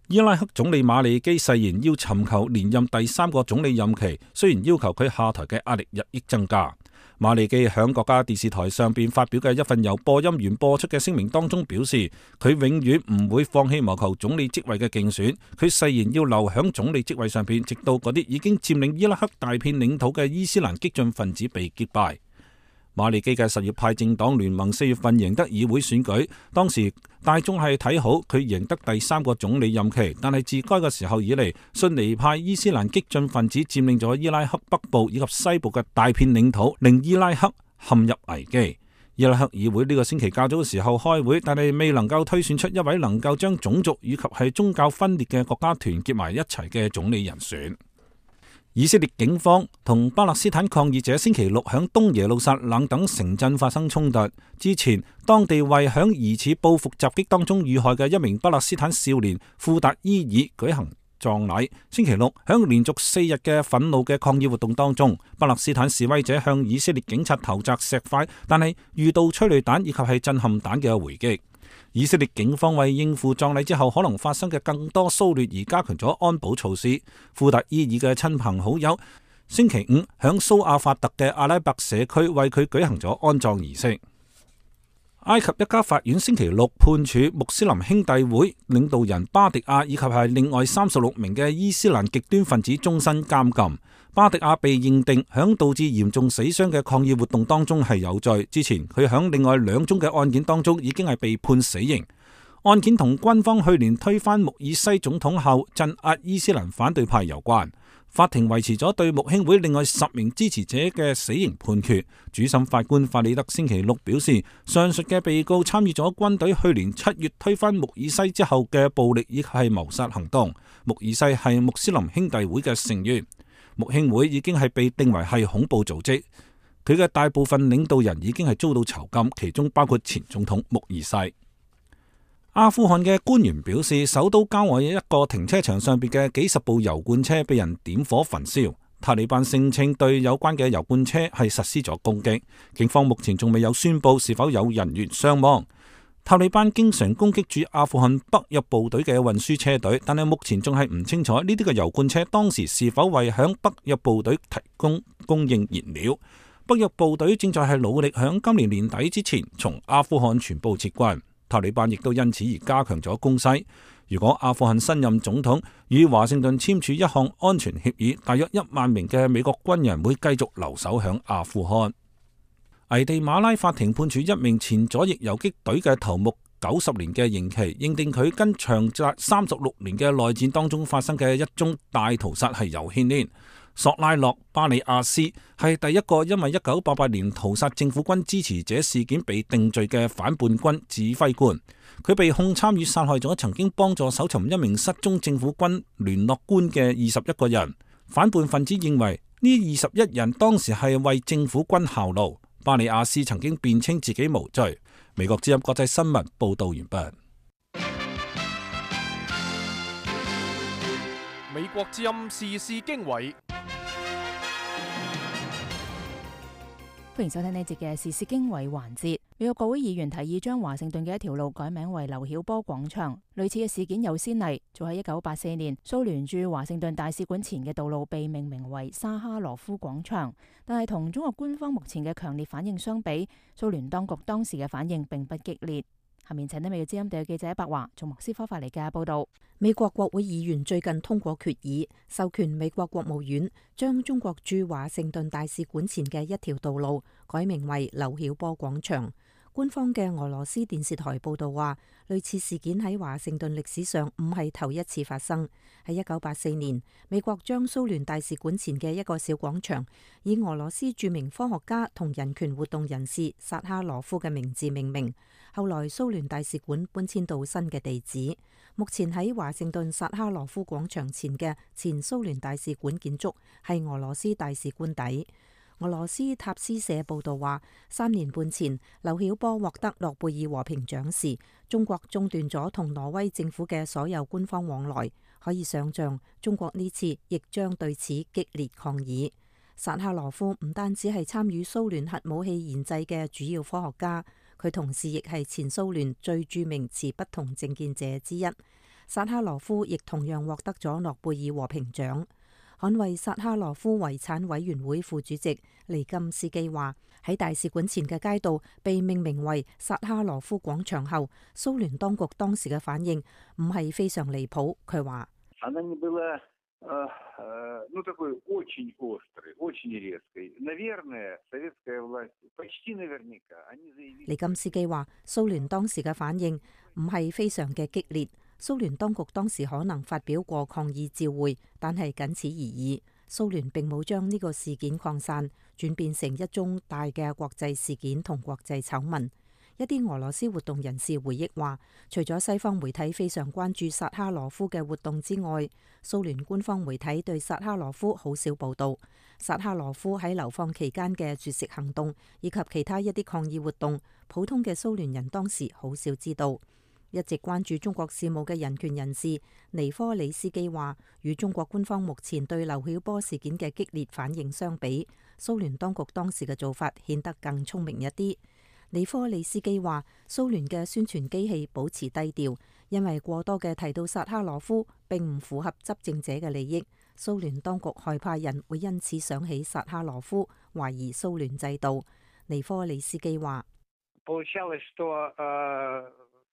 伊拉克總理馬利基誓言要尋求連任第3個總理任期，雖然要求佢下台嘅壓力日益增加。馬利基喺國家電視台上邊發表嘅一份由播音員播出嘅聲明當中表示，佢永遠唔會放棄謀求總理職位嘅競選，佢誓言要留響總理職位上邊，直到嗰啲已經佔領伊拉克大片領土嘅伊斯蘭激進分子被擊敗。馬利基嘅什葉派政黨聯盟4月份贏得議會選舉，當時大眾係睇好佢贏得第3個總理任期，但係自該個時候以嚟，遜尼派伊斯蘭激進分子佔領咗伊拉克北部以及西部嘅大片領土，令伊拉克陷入危機。伊拉克議會呢個星期較早嘅時候開會，但係未能夠推選出一位能夠將種族以及係宗教分裂嘅國家團結埋一齊嘅總理人選。以色列警方同巴勒斯坦抗議者星期六響東耶路撒冷等城鎮發生衝突。之前，當地為響疑似報復襲擊當中遇害嘅一名巴勒斯坦少年庫達伊爾舉行葬禮。星期六，響連續4日嘅憤怒嘅抗議活動當中，巴勒斯坦示威者向以色列警察投擲石塊，但係遇到催淚彈以及係震撼彈嘅回擊。以色列警方為應付葬禮之後可能發生嘅更多騷亂而加強咗安保措施。庫達伊爾嘅親朋好友星期5響蘇阿法特嘅阿拉伯社區為佢舉行咗安葬儀式。埃及一家法院星期六判處穆斯林兄弟會領導人巴迪亞以及係另外36名嘅伊斯蘭極端分子終身監禁。巴迪亞被認定響導致嚴重死傷嘅抗議活動當中係有罪。之前佢響另外2宗嘅案件當中已經係被判死刑。案件同軍方去年推翻穆爾西總統後鎮壓伊斯蘭反對派有關。法庭維持咗對穆兄會另外10名支持者嘅死刑判決。主審法官法里德星期六表示，上述嘅被告參與咗軍隊去年7月推翻穆爾西之後嘅暴力以及係謀殺行動。穆爾西係穆斯林兄弟會嘅成員。穆兄會已經係被定為係恐怖組織，佢嘅大部分領導人已經係遭到囚禁，其中包括前總統穆爾西。阿富汗嘅官員表示，首都郊外一個停車場上邊嘅幾十部油罐車被人點火焚燒。塔利班聲稱對有關嘅油罐車係實施咗攻擊，警方目前仲未有宣布是否有人員傷亡。塔利班經常攻擊駐阿富汗北約部隊嘅運輸車隊，但係目前仲係唔清楚呢啲嘅油罐車當時是否為響北約部隊提供應燃料。北約部隊正在係努力響今年年底之前從阿富汗全部撤軍。塔利班亦都因此而加強咗攻勢。如果阿富汗新任總統與華盛頓簽署一項安全協議，大約1萬名嘅美國軍人會繼續留守響阿富汗。危地馬拉法庭判處一名前左翼游擊隊嘅頭目90年嘅刑期，認定佢跟長達36年嘅內戰當中發生嘅一宗大屠殺係有牽連。索拉諾·巴里亞斯係第一個因為1988年屠殺政府軍支持者事件被定罪嘅反叛軍指揮官。佢被控參與殺害咗曾經幫助搜尋一名失蹤政府軍聯絡官嘅21個人。反叛分子認為呢21人當時係為政府軍效勞。巴里亞斯曾經辯稱自己無罪。美國之音國際新聞報道完畢。美國之音時事經緯。歡迎收聽呢節嘅時事經緯環節。美國國會議員提議將華盛頓嘅一條路改名為劉曉波廣場。類似嘅事件有先例，早喺1984年，蘇聯駐華盛頓大使館前嘅道路被命名為沙哈羅夫廣場。但係同中國官方目前嘅強烈反應相比，蘇聯當局當時嘅反應並不激烈。下面請聽美國之音特約記者白華從莫斯科發嚟嘅報道。美國國會議員最近通過決議，授權美國國務院將中國駐華盛頓大使館前嘅一條道路改名為劉曉波廣場。官方嘅俄羅斯電視台報道話，類似事件喺華盛頓歷史上唔係頭一次發生。喺1984年，美國將蘇聯大使館前嘅一個小廣場以俄羅斯著名科學家同人權活動人士薩哈羅夫嘅名字命名。後來蘇聯大使館搬遷到新嘅地址。目前喺華盛頓薩哈羅夫廣場前嘅前蘇聯大使館建築係俄羅斯大使官邸。俄羅斯塔斯社報道話，3年半前，劉曉波獲得諾貝爾和平獎時，中國中斷咗同挪威政府嘅所有官方往來。可以想象，中國呢次亦將對此激烈抗議。薩哈羅夫唔單止係參與蘇聯核武器研製嘅主要科學家，佢同時亦係前蘇聯最著名持不同政見者之一。薩哈羅夫亦同樣獲得咗諾貝爾和平獎。捍衛薩哈羅夫遺產委員會副主席尼金斯基話，喺大使館前嘅街道被命名為薩哈羅夫廣場後，蘇聯當局當時嘅反應唔係非常離譜。佢話尼金斯基話，蘇聯當時嘅反應唔係非常嘅激烈。蘇聯當局當時可能發表過抗議照會，但係僅此而已。蘇聯並冇將呢個事件擴散，轉變成一宗大嘅國際事件同國際醜聞。一啲俄羅斯活動人士回憶話，除咗西方媒體非常關注薩哈羅夫嘅活動之外，蘇聯官方媒體對薩哈羅夫好少報道。薩哈羅夫喺流放期間嘅絕食行動以及其他一啲抗議活動，普通嘅蘇聯人當時好少知道。一直關注中國事務嘅人權人士尼科里斯基話，與中國官方目前對劉曉波事件嘅激烈反應相比，蘇聯當局當時嘅做法顯得更聰明一啲。尼科里斯基話，蘇聯嘅宣傳機器保持低調，因為過多嘅提到薩哈羅夫並唔符合執政者嘅利益。蘇聯當局害怕人會因此想起薩哈羅夫，懷疑蘇聯制度。尼科里斯基話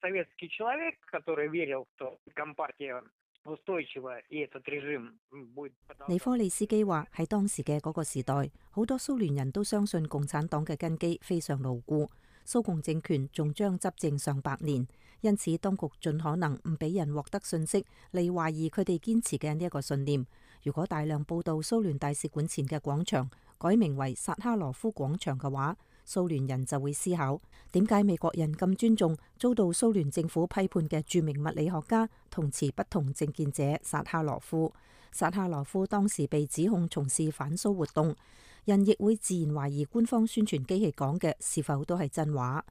，советский человек, который верил, что компартия устойчива и этот режим будет。尼科利斯基話，喺當時嘅嗰個時代，好多蘇聯人都相信共產黨嘅根基非常牢固，蘇共政權仲將執政上百年，因此當局盡可能唔俾人獲得信息嚟懷疑佢哋堅持嘅呢一個信念。如果大量報道蘇聯大使館前嘅廣場改名為薩哈羅夫廣場嘅話，蘇聯人就會思考，點解美國人咁尊重遭到蘇聯政府批判嘅著名物理學家同持不同政見者薩哈羅夫。薩哈羅夫當時被指控從事反蘇活動，人亦會自然懷疑官方宣傳機器講嘅是否都係真話。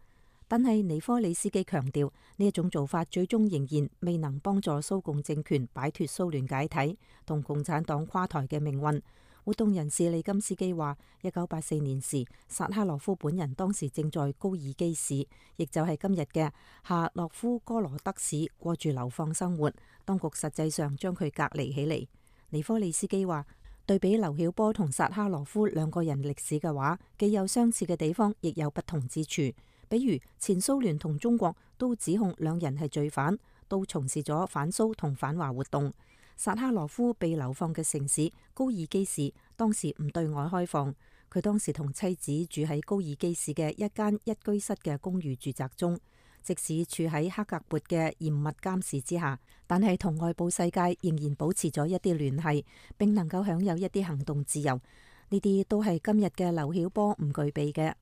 但係尼科里斯基強調，呢一種做法最終仍然未能幫助蘇共政權擺脫蘇聯解體同共產黨垮台嘅命運。活動人士利金斯基話，1984年時，薩哈羅夫本人當時正在高爾基市，亦就係今日嘅夏洛夫哥羅德市，過住流放生活。當局實際上將佢隔離起嚟。尼科利斯基話，對比劉曉波同薩哈羅夫兩個人歷史嘅話，既有相似嘅地方，亦有不同之處。比如前蘇聯同中國都指控兩人係罪犯，都從事咗反蘇同反華活動。薩哈羅夫被流放嘅城市高爾基市當時唔對外開放，佢當時同妻子住喺高爾基市嘅一間一居室嘅公寓住宅中。即使處喺克格勃嘅嚴密監視之下，但係同外部世界仍然保持咗一啲聯繫，並能夠享有一啲行動自由。呢啲都係今日嘅劉曉波唔具備嘅。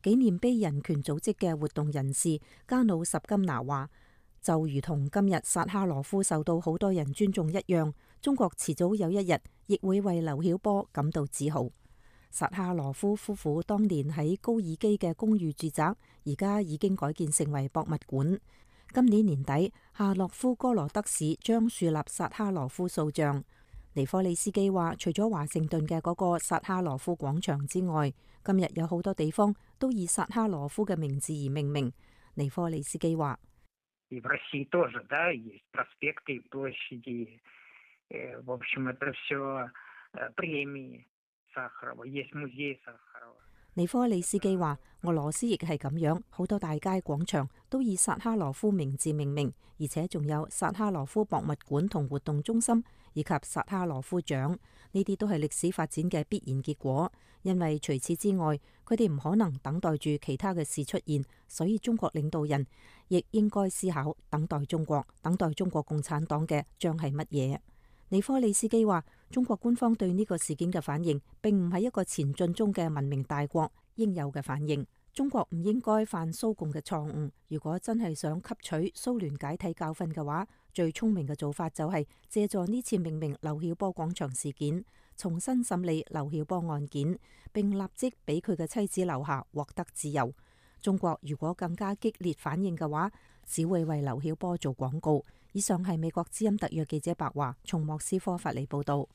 紀念碑人權組織嘅活動人士加努什金拿話，就如同今日薩哈羅夫受到好多人尊重一樣，中國遲早有一日亦會為劉曉波感到自豪。薩哈羅夫夫婦當年喺高爾基嘅公寓住宅，而家已經改建成為博物館。今年年底，夏洛夫哥羅德市將樹立薩哈羅夫塑像。尼科利斯基話，除咗華盛頓嘅嗰個薩哈羅夫廣場之外，今日有好多地方都以薩哈羅夫嘅名字而命名。尼科利斯基話，И в России тоже, да, есть проспекты, площади. В общем, это все премии Сахарова, есть музей Сахарова. 尼科利斯基話，俄羅斯亦係咁樣，好多大街廣場都以薩哈羅夫名字命名，而且仲有薩哈羅夫博物館同活動中心，以及薩哈羅夫獎。呢啲都係歷史發展嘅必然結果，因為除此之外，佢哋唔可能等待住其他嘅事出現，所以中國領導人亦應該思考等待中國共產黨嘅將係乜嘢。尼科利斯基話，中國官方對呢個事件嘅反應，並唔係一個前進中嘅文明大國應有嘅反應。中國唔應該犯蘇共嘅錯誤。如果真係想吸取蘇聯解體教訓嘅話，最聰明嘅做法就係借助呢次命名劉曉波廣場事件，重新審理劉曉波案件，並立即俾佢嘅妻子留下，獲得自由。中國如果更加激烈反應嘅話，只會為劉曉波做廣告。以上係美國之音特約記者白華從莫斯科發嚟報道。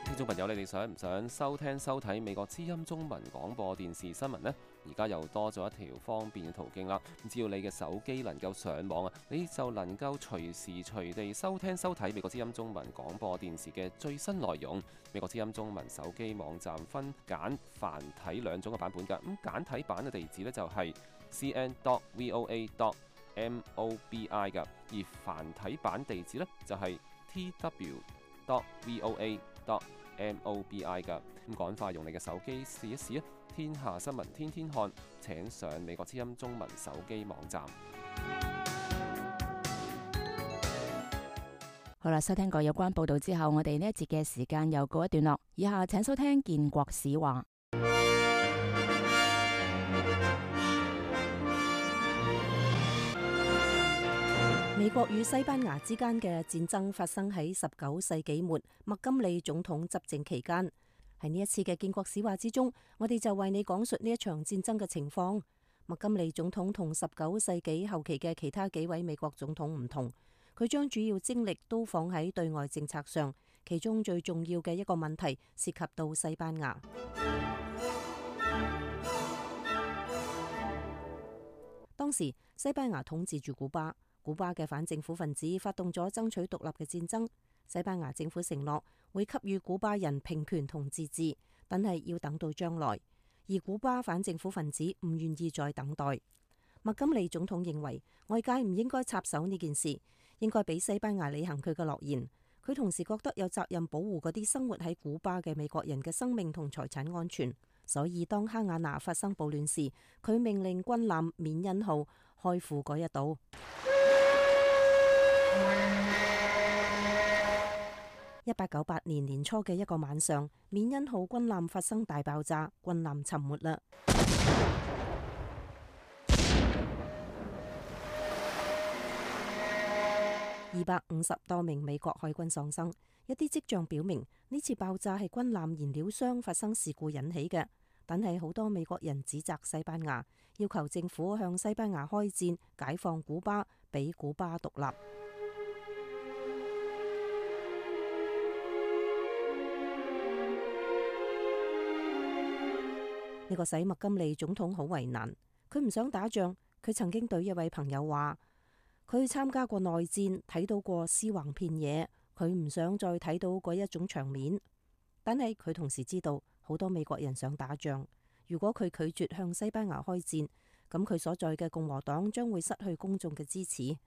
聽眾朋友，你哋想唔想收聽收睇美國之音中文廣播電視新聞呢？而家又多咗一條方便嘅途徑啦。只要你嘅手機能夠上網啊，你就能夠隨時隨地收聽收睇美國之音中文廣播電視嘅最新內容。美國之音中文手機網站分簡繁體兩種嘅版本㗎。咁簡體版嘅地址呢，就係 cn.voa.mobi 㗎，而繁體版地址呢，就係 tw.voa.mobi 㗎。咁趕快用你嘅手機試一試啊！天下新聞天天看，請上美國之音中文手機網站。好啦，收聽過有關報道之後，我哋呢一節嘅時間又告一段落。以下請收聽建國史話。美國與西班牙之間嘅戰爭發生喺19世紀末麥金利總統執政期間。喺呢一次嘅建國史話之中，我哋就為你講述呢一場戰爭嘅情況。麥金利總統同19世紀後期嘅其他幾位美國總統唔同，佢將主要精力都放喺對外政策上，其中最重要嘅一個問題涉及到西班牙。當時西班牙統治住古巴，古巴嘅反政府分子發動咗爭取獨立嘅戰爭。西班牙政府承諾會給予古巴人平權同自治，但係要等到將來。而古巴反政府分子唔願意再等待。麥金利總統認為外界唔應該插手呢件事，應該俾西班牙履行佢嘅諾言。佢同時覺得有責任保護嗰啲生活喺古巴嘅美國人嘅生命同財產安全。所以當哈瓦那發生暴亂時，佢命令軍艦緬恩號開赴嗰一島。1898年年初嘅一個晚上，緬恩號軍艦發生大爆炸，軍艦沉沒啦。250多名美國海軍喪生。一啲跡象表明呢次爆炸係軍艦燃料箱發生事故引起嘅，但係好多美國人指責西班牙，要求政府向西班牙開戰，解放古巴，俾古巴獨立。呢個使麥金利總統好為難，佢唔想打仗。佢曾經對一位朋友話，佢參加過內戰，睇到過屍橫遍野，佢唔想再睇到嗰一種場面。但係佢同時知道好多美國人想打仗，如果佢拒絕向西班牙開戰，咁佢所在嘅共和黨將會失去公眾嘅支持。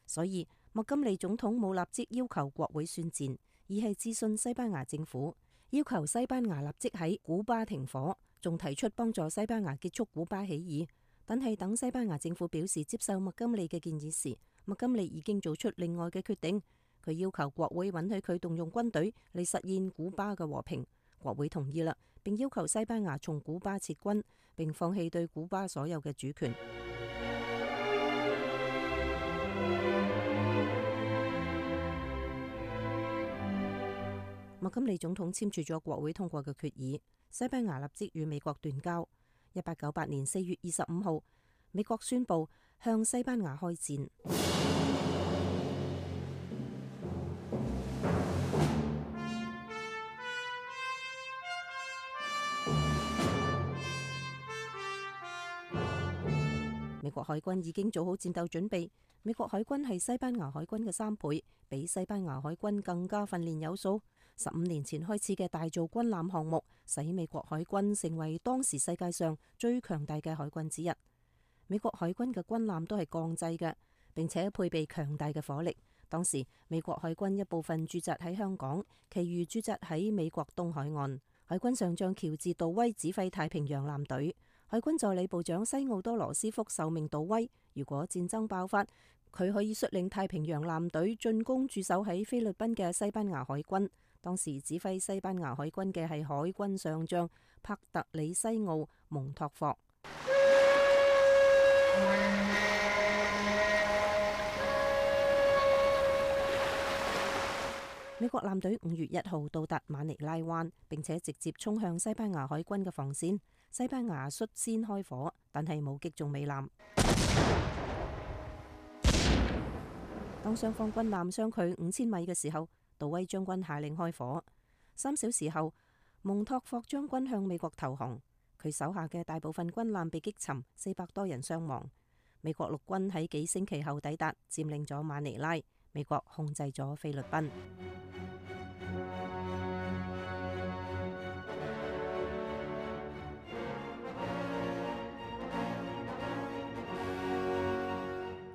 所以麥金利總統冇立即要求國會宣戰，而係諮詢西班牙政府，要求西班牙立即喺古巴停火，仲提出幫助西班牙結束古巴起義，但係等西班牙政府表示接受麥金利嘅建議時，麥金利已經做出另外嘅決定。佢要求國會允許佢動用軍隊嚟實現古巴嘅和平，國會同意啦，並要求西班牙從古巴撤軍，並放棄對古巴所有嘅主權。麥金利總統簽署咗國會通過嘅決議，西班牙立即與美國斷交。1898年4月25號，美國宣布向西班牙開戰。美國海軍已經做好戰鬥準備。美國海軍係西班牙海軍嘅3倍，比西班牙海軍更加訓練有素。15年前開始嘅大造軍艦項目，使美國海軍成為當時世界上最強大嘅海軍之一。美國海軍嘅軍艦都係鋼製嘅，並且配備強大嘅火力。當時美國海軍一部分駐紮喺香港，其餘駐紮喺美國東海岸。海軍上將喬治·杜威指揮太平洋艦隊。海軍助理部長西奧多·羅斯福受命杜威，如果戰爭爆發，佢可以率領太平洋艦隊進攻駐守喺菲律賓嘅西班牙海軍。當時指揮西班牙海軍嘅係海軍上將帕特里西奧·蒙托霍。美國艦隊5月1號到達馬尼拉灣，並且直接衝向西班牙海軍嘅防線。西班牙率先開火，但係冇擊中美艦。當雙方軍艦相距5000米嘅時候，杜威將軍下令開火。3小時後，蒙托霍將軍向美國投降，佢手下嘅大部分軍艦被擊沉，400多人傷亡。美國陸軍喺幾星期後抵達，佔領咗馬尼拉，美國控制咗菲律賓。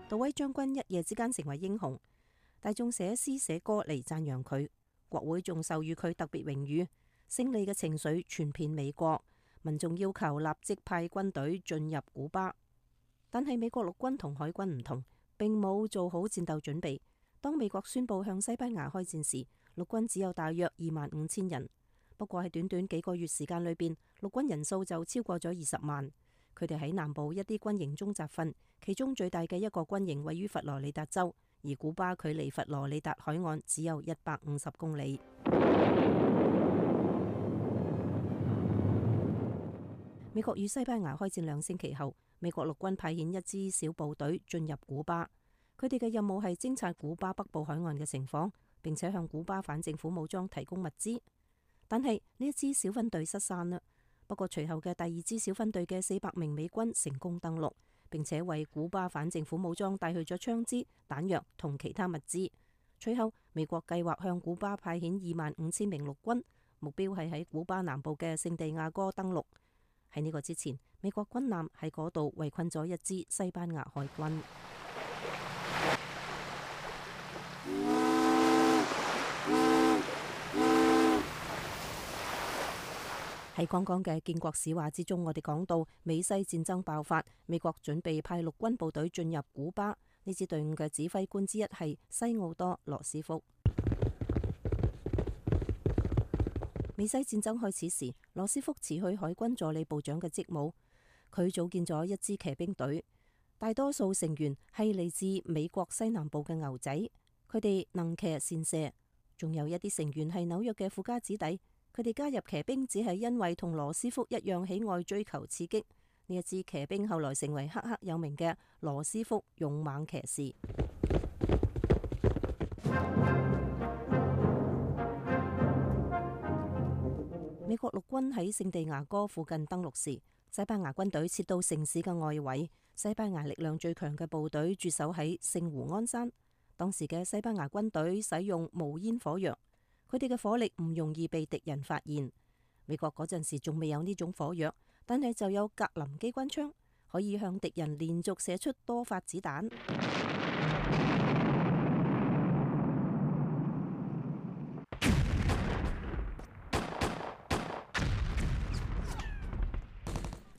杜威將軍一夜之間成為英雄，大眾寫詩寫歌嚟讚揚佢，國會仲授予佢特別榮譽。勝利嘅情緒傳遍美國，民眾要求立即派軍隊進入古巴。但係美國陸軍同海軍唔同，並冇做好戰鬥準備。當美國宣布向西班牙開戰時，陸軍只有大約25000人。不過喺短短幾個月時間裏邊，陸軍人數就超過咗20萬。佢哋喺南部一啲軍營中集訓，其中最大嘅一個軍營位於佛羅里達州，而古巴距離佛羅里達海岸只有150公里。美國與西班牙開戰2星期後，美國陸軍派遣一支小部隊進入古巴，佢哋嘅任務係偵察古巴北部海岸嘅情況，並且向古巴反政府武裝提供物資。但係呢一支小分隊失散啦。不過隨後嘅第2支小分隊嘅400名美軍成功登陸，並且為古巴反政府武裝帶去咗槍支、彈藥同其他物資。隨後美國計劃向古巴派遣25000名陸軍，目標係喺古巴南部嘅聖地亞哥登陸。喺呢個之前，美國軍艦喺嗰度圍困咗一支西班牙海軍。喺剛剛嘅建國史話之中，我哋講到美西戰爭爆發，美國準備派陸軍部隊進入古巴。呢支隊伍嘅指揮官之一係西奧多·羅斯福。美西戰爭開始時，羅斯福辭去海軍助理部長嘅職務，佢組建咗一支騎兵隊，大多數成員係嚟自美國西南部嘅牛仔，佢哋能騎善射，仲有一啲成員係紐約嘅富家子弟。佢哋加入騎兵只係因為同羅斯福一樣喜愛追求刺激。呢一支騎兵後來成為赫赫有名嘅羅斯福勇猛騎士。美國陸軍喺聖地亞哥附近登陸時，西班牙軍隊撤到城市嘅外圍。西班牙力量最強嘅部隊駐守喺聖胡安山。當時嘅西班牙軍隊使用無煙火藥。佢哋嘅火力唔容易被敵人發現。美國嗰陣時仲未有呢種火藥，但係就有格林機關槍，可以向敵人連續射出多發子彈。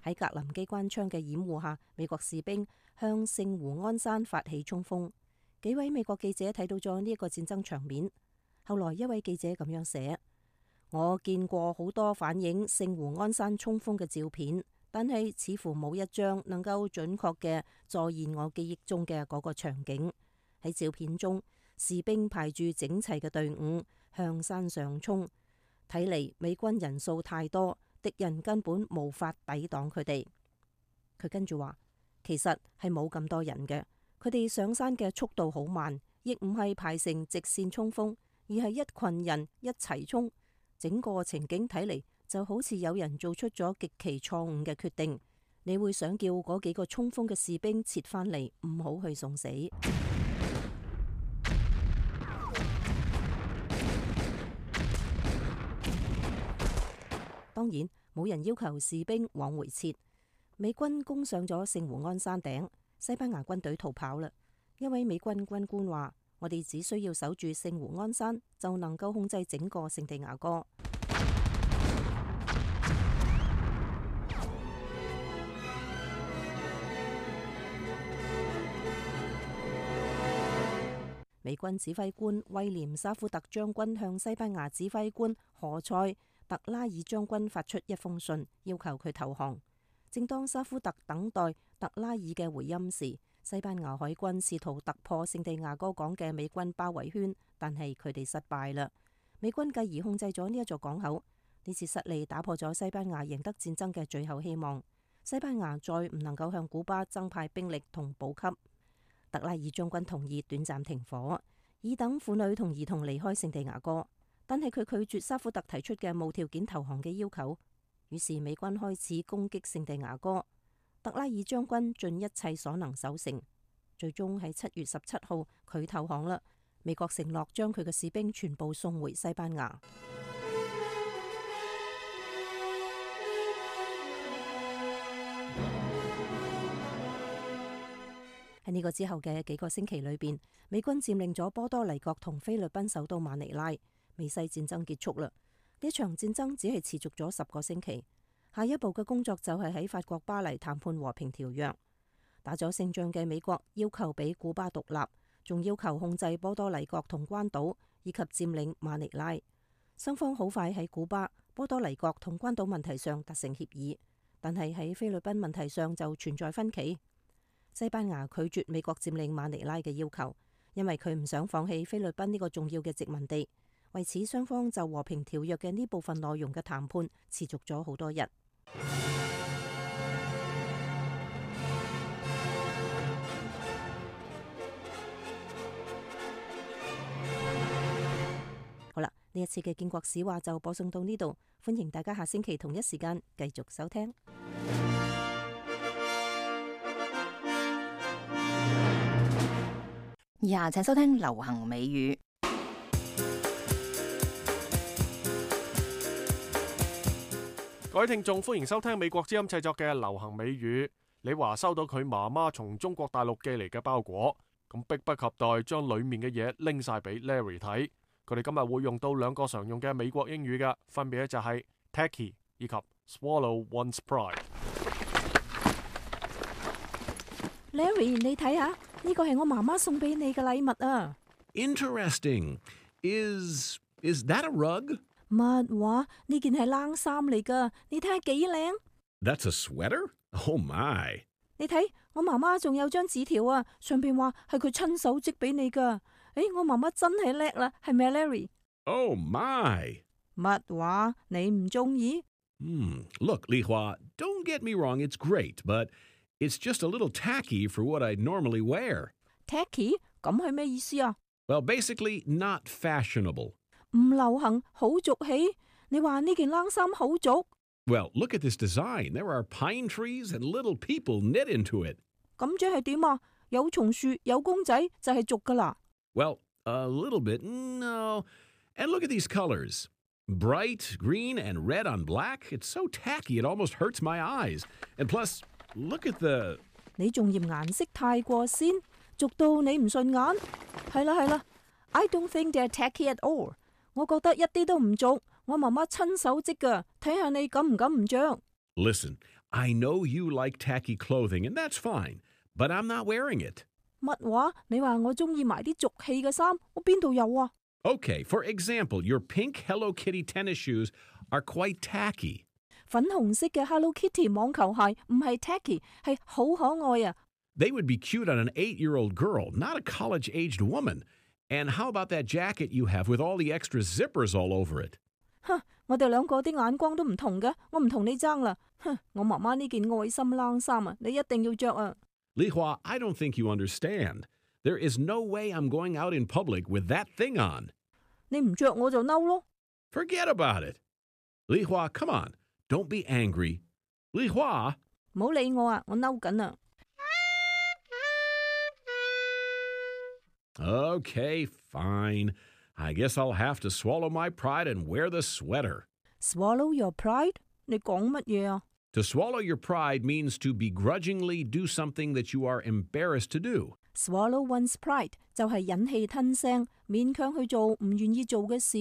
喺格林機關槍嘅掩護下，美國士兵向聖胡安山發起衝鋒。幾位美國記者睇到咗呢一個戰爭場面。後來一位記者咁樣寫：我見過好多反映聖胡安山衝鋒嘅照片，但係似乎冇一張能夠準確嘅再現我記憶中嘅嗰個場景。喺照片中，士兵排住整齊嘅隊伍向山上衝，睇嚟美軍人數太多，敵人根本無法抵擋佢哋。佢跟住話，其實係冇咁多人嘅，佢哋上山嘅速度好慢，亦唔係排成直線衝鋒，而係一群人一齊衝。整個情景睇嚟就好似有人做出咗極其錯誤嘅決定。你會想叫嗰幾個衝鋒嘅士兵撤返嚟，唔好去送死。當然冇人要求士兵往回撤。美軍攻上咗聖胡安山頂，西班牙軍隊逃跑啦。一位美軍軍官話：我哋只需要守住聖胡安山，就能夠控制整個聖地亞哥。美軍指揮官威廉沙夫特將軍向西班牙指揮官何塞特拉爾將軍發出一封信，要求佢投降。正當沙夫特等待特拉爾嘅回音時，西班牙海軍試圖突破聖地亞哥港嘅美軍包圍圈，但係佢哋失敗啦。美軍繼而控制咗呢一座港口。呢次失利打破咗西班牙贏得戰爭嘅最後希望。西班牙再唔能夠向古巴增派兵力同補給。特拉爾將軍同意短暫停火，以等婦女同兒童離開聖地亞哥。但係佢拒絕沙夫特提出嘅無條件投降嘅要求，於是美軍開始攻擊聖地亞哥。特拉爾將軍盡一切所能守城，最終喺7月17號佢投降啦。美國承諾將佢嘅士兵全部送回西班牙。喺呢個之後嘅幾個星期裏邊，美軍佔領咗波多黎各同菲律賓首都馬尼拉。美西戰爭結束啦，呢場戰爭只係持續咗10個星期。下一步嘅工作就係喺法國巴黎談判和平條約。打咗勝仗嘅美國要求俾古巴獨立，仲要求控制波多黎各同關島，以及佔領馬尼拉。雙方好快喺古巴、波多黎各同關島問題上達成協議，但係喺菲律賓問題上就存在分歧。西班牙拒絕美國佔領馬尼拉嘅要求，因為佢唔想放棄菲律賓呢個重要嘅殖民地。為此，雙方就和平條約嘅呢部分內容嘅談判持續咗好多日。好啦，呢一次嘅建國史話就播送到呢度，歡迎大家下星期同一時間繼續收聽。以下請收聽流行美語。各位聽眾，歡迎收聽美國之音製作嘅流行美語。李華收到佢媽媽從中國大陸寄嚟嘅包裹，咁迫不及待將裏面嘅嘢拎晒俾 Larry 睇。佢哋今日會用到2個常用嘅美國英語嘅，分別咧就係 tacky 以及 swallow one's pride。Larry， 你睇下，呢個係我媽媽送俾你嘅禮物啊。Interesting. Is that a rug? 乜話？呢件係冷衫嚟噶，你睇下幾靚。That's a sweater? Oh my！ 你睇，我媽媽仲有張紙條啊，上邊話係佢親手織俾你噶。誒，我媽媽真係叻啦，係咪 Larry？ Oh my！ 乜話？你唔中意？Look, Li Hua, don't get me wrong, it's great, but it's just a little tacky for what I normally wear. Tacky？ 咁係咩意思啊？ Well, basically, not fashionable. 唔流行，好俗氣。你話呢件冷衫好俗？ Well, look at this design. There are pine trees and little people knit into it. 咁即係點啊？有松樹，有公仔就係俗噶啦。Well, a little bit, no. And look at these colors. Bright green and red on black. It's so tacky it almost hurts my eyes. And plus, look at the... 你仲嫌顏色太過鮮，俗到你唔順眼。係啦。I don't think they're tacky at all. 我覺得一啲都唔俗，我媽媽親手織㗎，睇下你敢唔敢唔着。Listen, I know you like tacky clothing, and that's fine, but I'm not wearing it. 乜話？你話我中意埋啲俗氣嘅衫，我邊度有啊？ Okay, for example, your pink Hello Kitty tennis shoes are quite tacky. 粉紅色嘅 Hello Kitty 網球鞋唔係 tacky， 係好可愛啊！ They would be cute on an 8-year-old girl, not a college-aged woman. And how about that jacket you have with all the extra zippers all over it? 哼，我哋兩個啲眼光都唔同嘅，我唔同你爭啦。哼，我媽媽呢件愛心冷衫啊，你一定要着啊！ Li Hua, I don't think you understand. There is no way I'm going out in public with that thing on. 你唔着我就嬲咯。 Forget about it. Li Hua, come on. Don't be angry. Li Hua. 唔好理我啊，我嬲緊啊。 Okay, fine. I guess I'll have to swallow my pride and wear the sweater. Swallow your pride？ 你講乜嘢啊？ To swallow your pride means to begrudgingly do something that you are embarrassed to do. Swallow one's pride 就係忍氣吞聲，勉強去做唔願意做嘅事。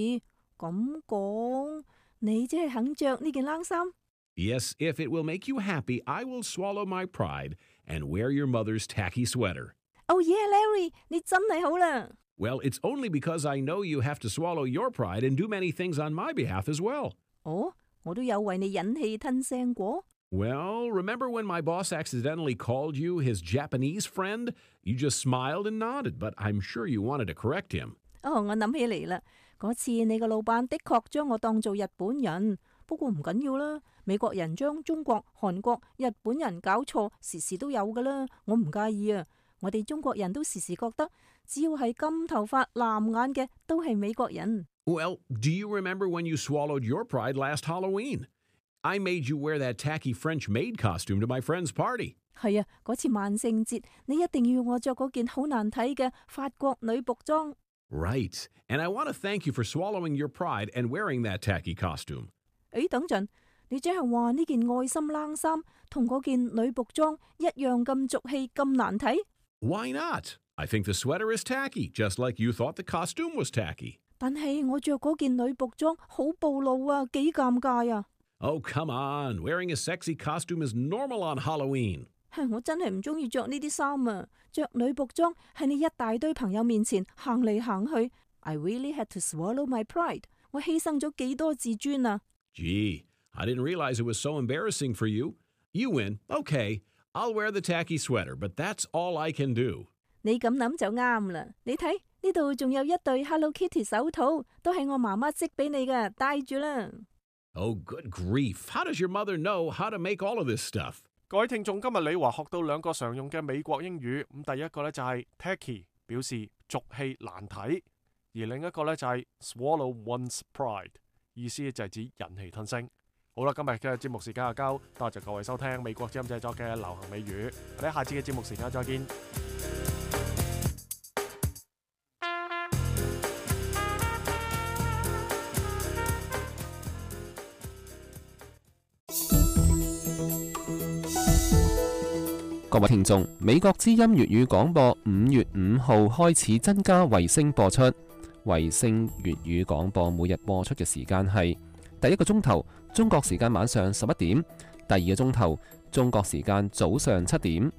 咁講，你即係肯着呢件冷衫？ Yes, if it will make you happy, I will swallow my pride and wear your mother's tacky sweater. Oh yeah, Larry， 你真係好啦。 Well, it's only because I know you have to swallow your pride and do many things on my behalf as well. 哦，我都有為你忍氣吞聲過。 Well, remember when my boss accidentally called you his Japanese friend? You just smiled and nodded, but I'm sure you wanted to correct him. 哦，我諗起嚟啦，嗰次你個老闆的確將我當做日本人，不過唔緊要啦。美國人將中國、韓國、日本人搞錯，時時都有噶啦，我唔介意啊。我哋中國人都時時覺得，只要係金頭髮、藍眼嘅，都係美國人。 Well, do you remember when you swallowed your pride last Halloween? I made you wear that tacky French maid costume to my friend's party. 係啊，嗰次萬聖節，你一定要我着嗰件好難睇嘅法國女僕裝。 Right, and I want to thank you for swallowing your pride and wearing that tacky costume. 誒，等陣，你即係話呢件愛心冷衫同嗰件女僕裝一樣咁俗氣、咁難睇？ Why not? I think the sweater is tacky, just like you thought the costume was tacky. 但係我着嗰件女僕裝好暴露啊，幾尷尬啊！ Oh, come on. Wearing a sexy costume is normal on Halloween. 我真係唔中意着呢啲衫啊！着女僕裝喺你一大堆朋友面前行嚟行去 ，I really had to swallow my pride。我犧牲咗幾多自尊啊 Gee, I didn't realize it was so embarrassing for you. You win. Okay, I'll wear the tacky sweater, but that's all I can do. 你咁諗就啱啦。你睇呢度仲有一對 Hello Kitty 手套，都係我媽媽織俾你嘅，戴住啦。Oh, good grief. How does your mother know how to make all of this stuff? 各位聽眾，今日李華學到兩個常用嘅美國英語，咁第一個呢就係 tacky， 表示俗氣難睇，而另一個呢就係 swallow one's pride， 意思就係指忍氣吞聲。好啦，今日嘅節目時間就夠，多謝各位收聽美國之音製作嘅流行美語，我哋下次嘅節目時間再見。各位聽眾，美國之音粵語廣播5月5號開始增加衛星播出。衛星粵語廣播每日播出嘅時間係第一個鐘頭中國時間晚上11點，第二個鐘頭中國時間早上7點。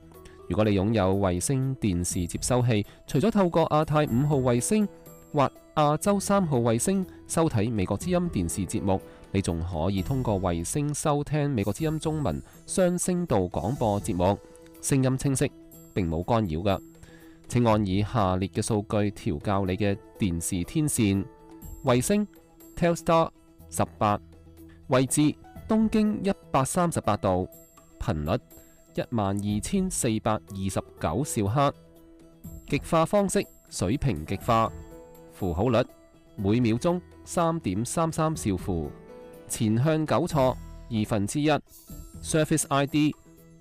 如果你擁有衛星電視接收器，除咗透過亞太5號衛星或亞洲3號衛星收睇美國之音電視節目，你仲可以通過衛星收聽美國之音中文雙聲道廣播節目。聲音清晰，並冇干擾㗎。請按以下列嘅數據調校你嘅電視天線：衛星 Telstar 18，位置東經138度，頻率12429兆赫，極化方式水平極化，符號率每秒鐘3.33兆符，前向糾錯1/2， Surface ID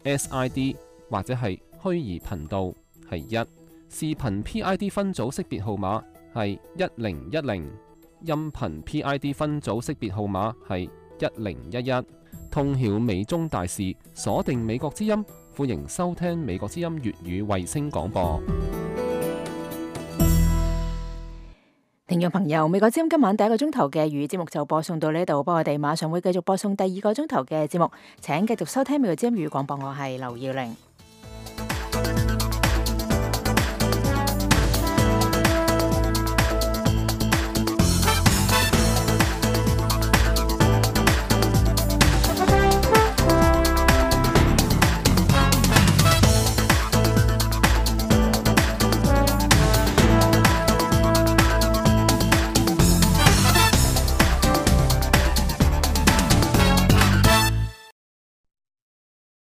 SID 或者係虛擬頻道係1，視頻 PID 分組識別號碼係1010，音頻 PID 分組識別號碼係1011。通曉美中大事，鎖定美國之音，歡迎收聽美國之音粵語衛星廣播。聽眾朋友，美國之音今晚第一個鐘頭嘅粵語節目就播送到呢度，不過我哋馬上會繼續播送第二個鐘頭嘅節目，請繼續收聽美國之音粵語廣播，我係劉耀玲。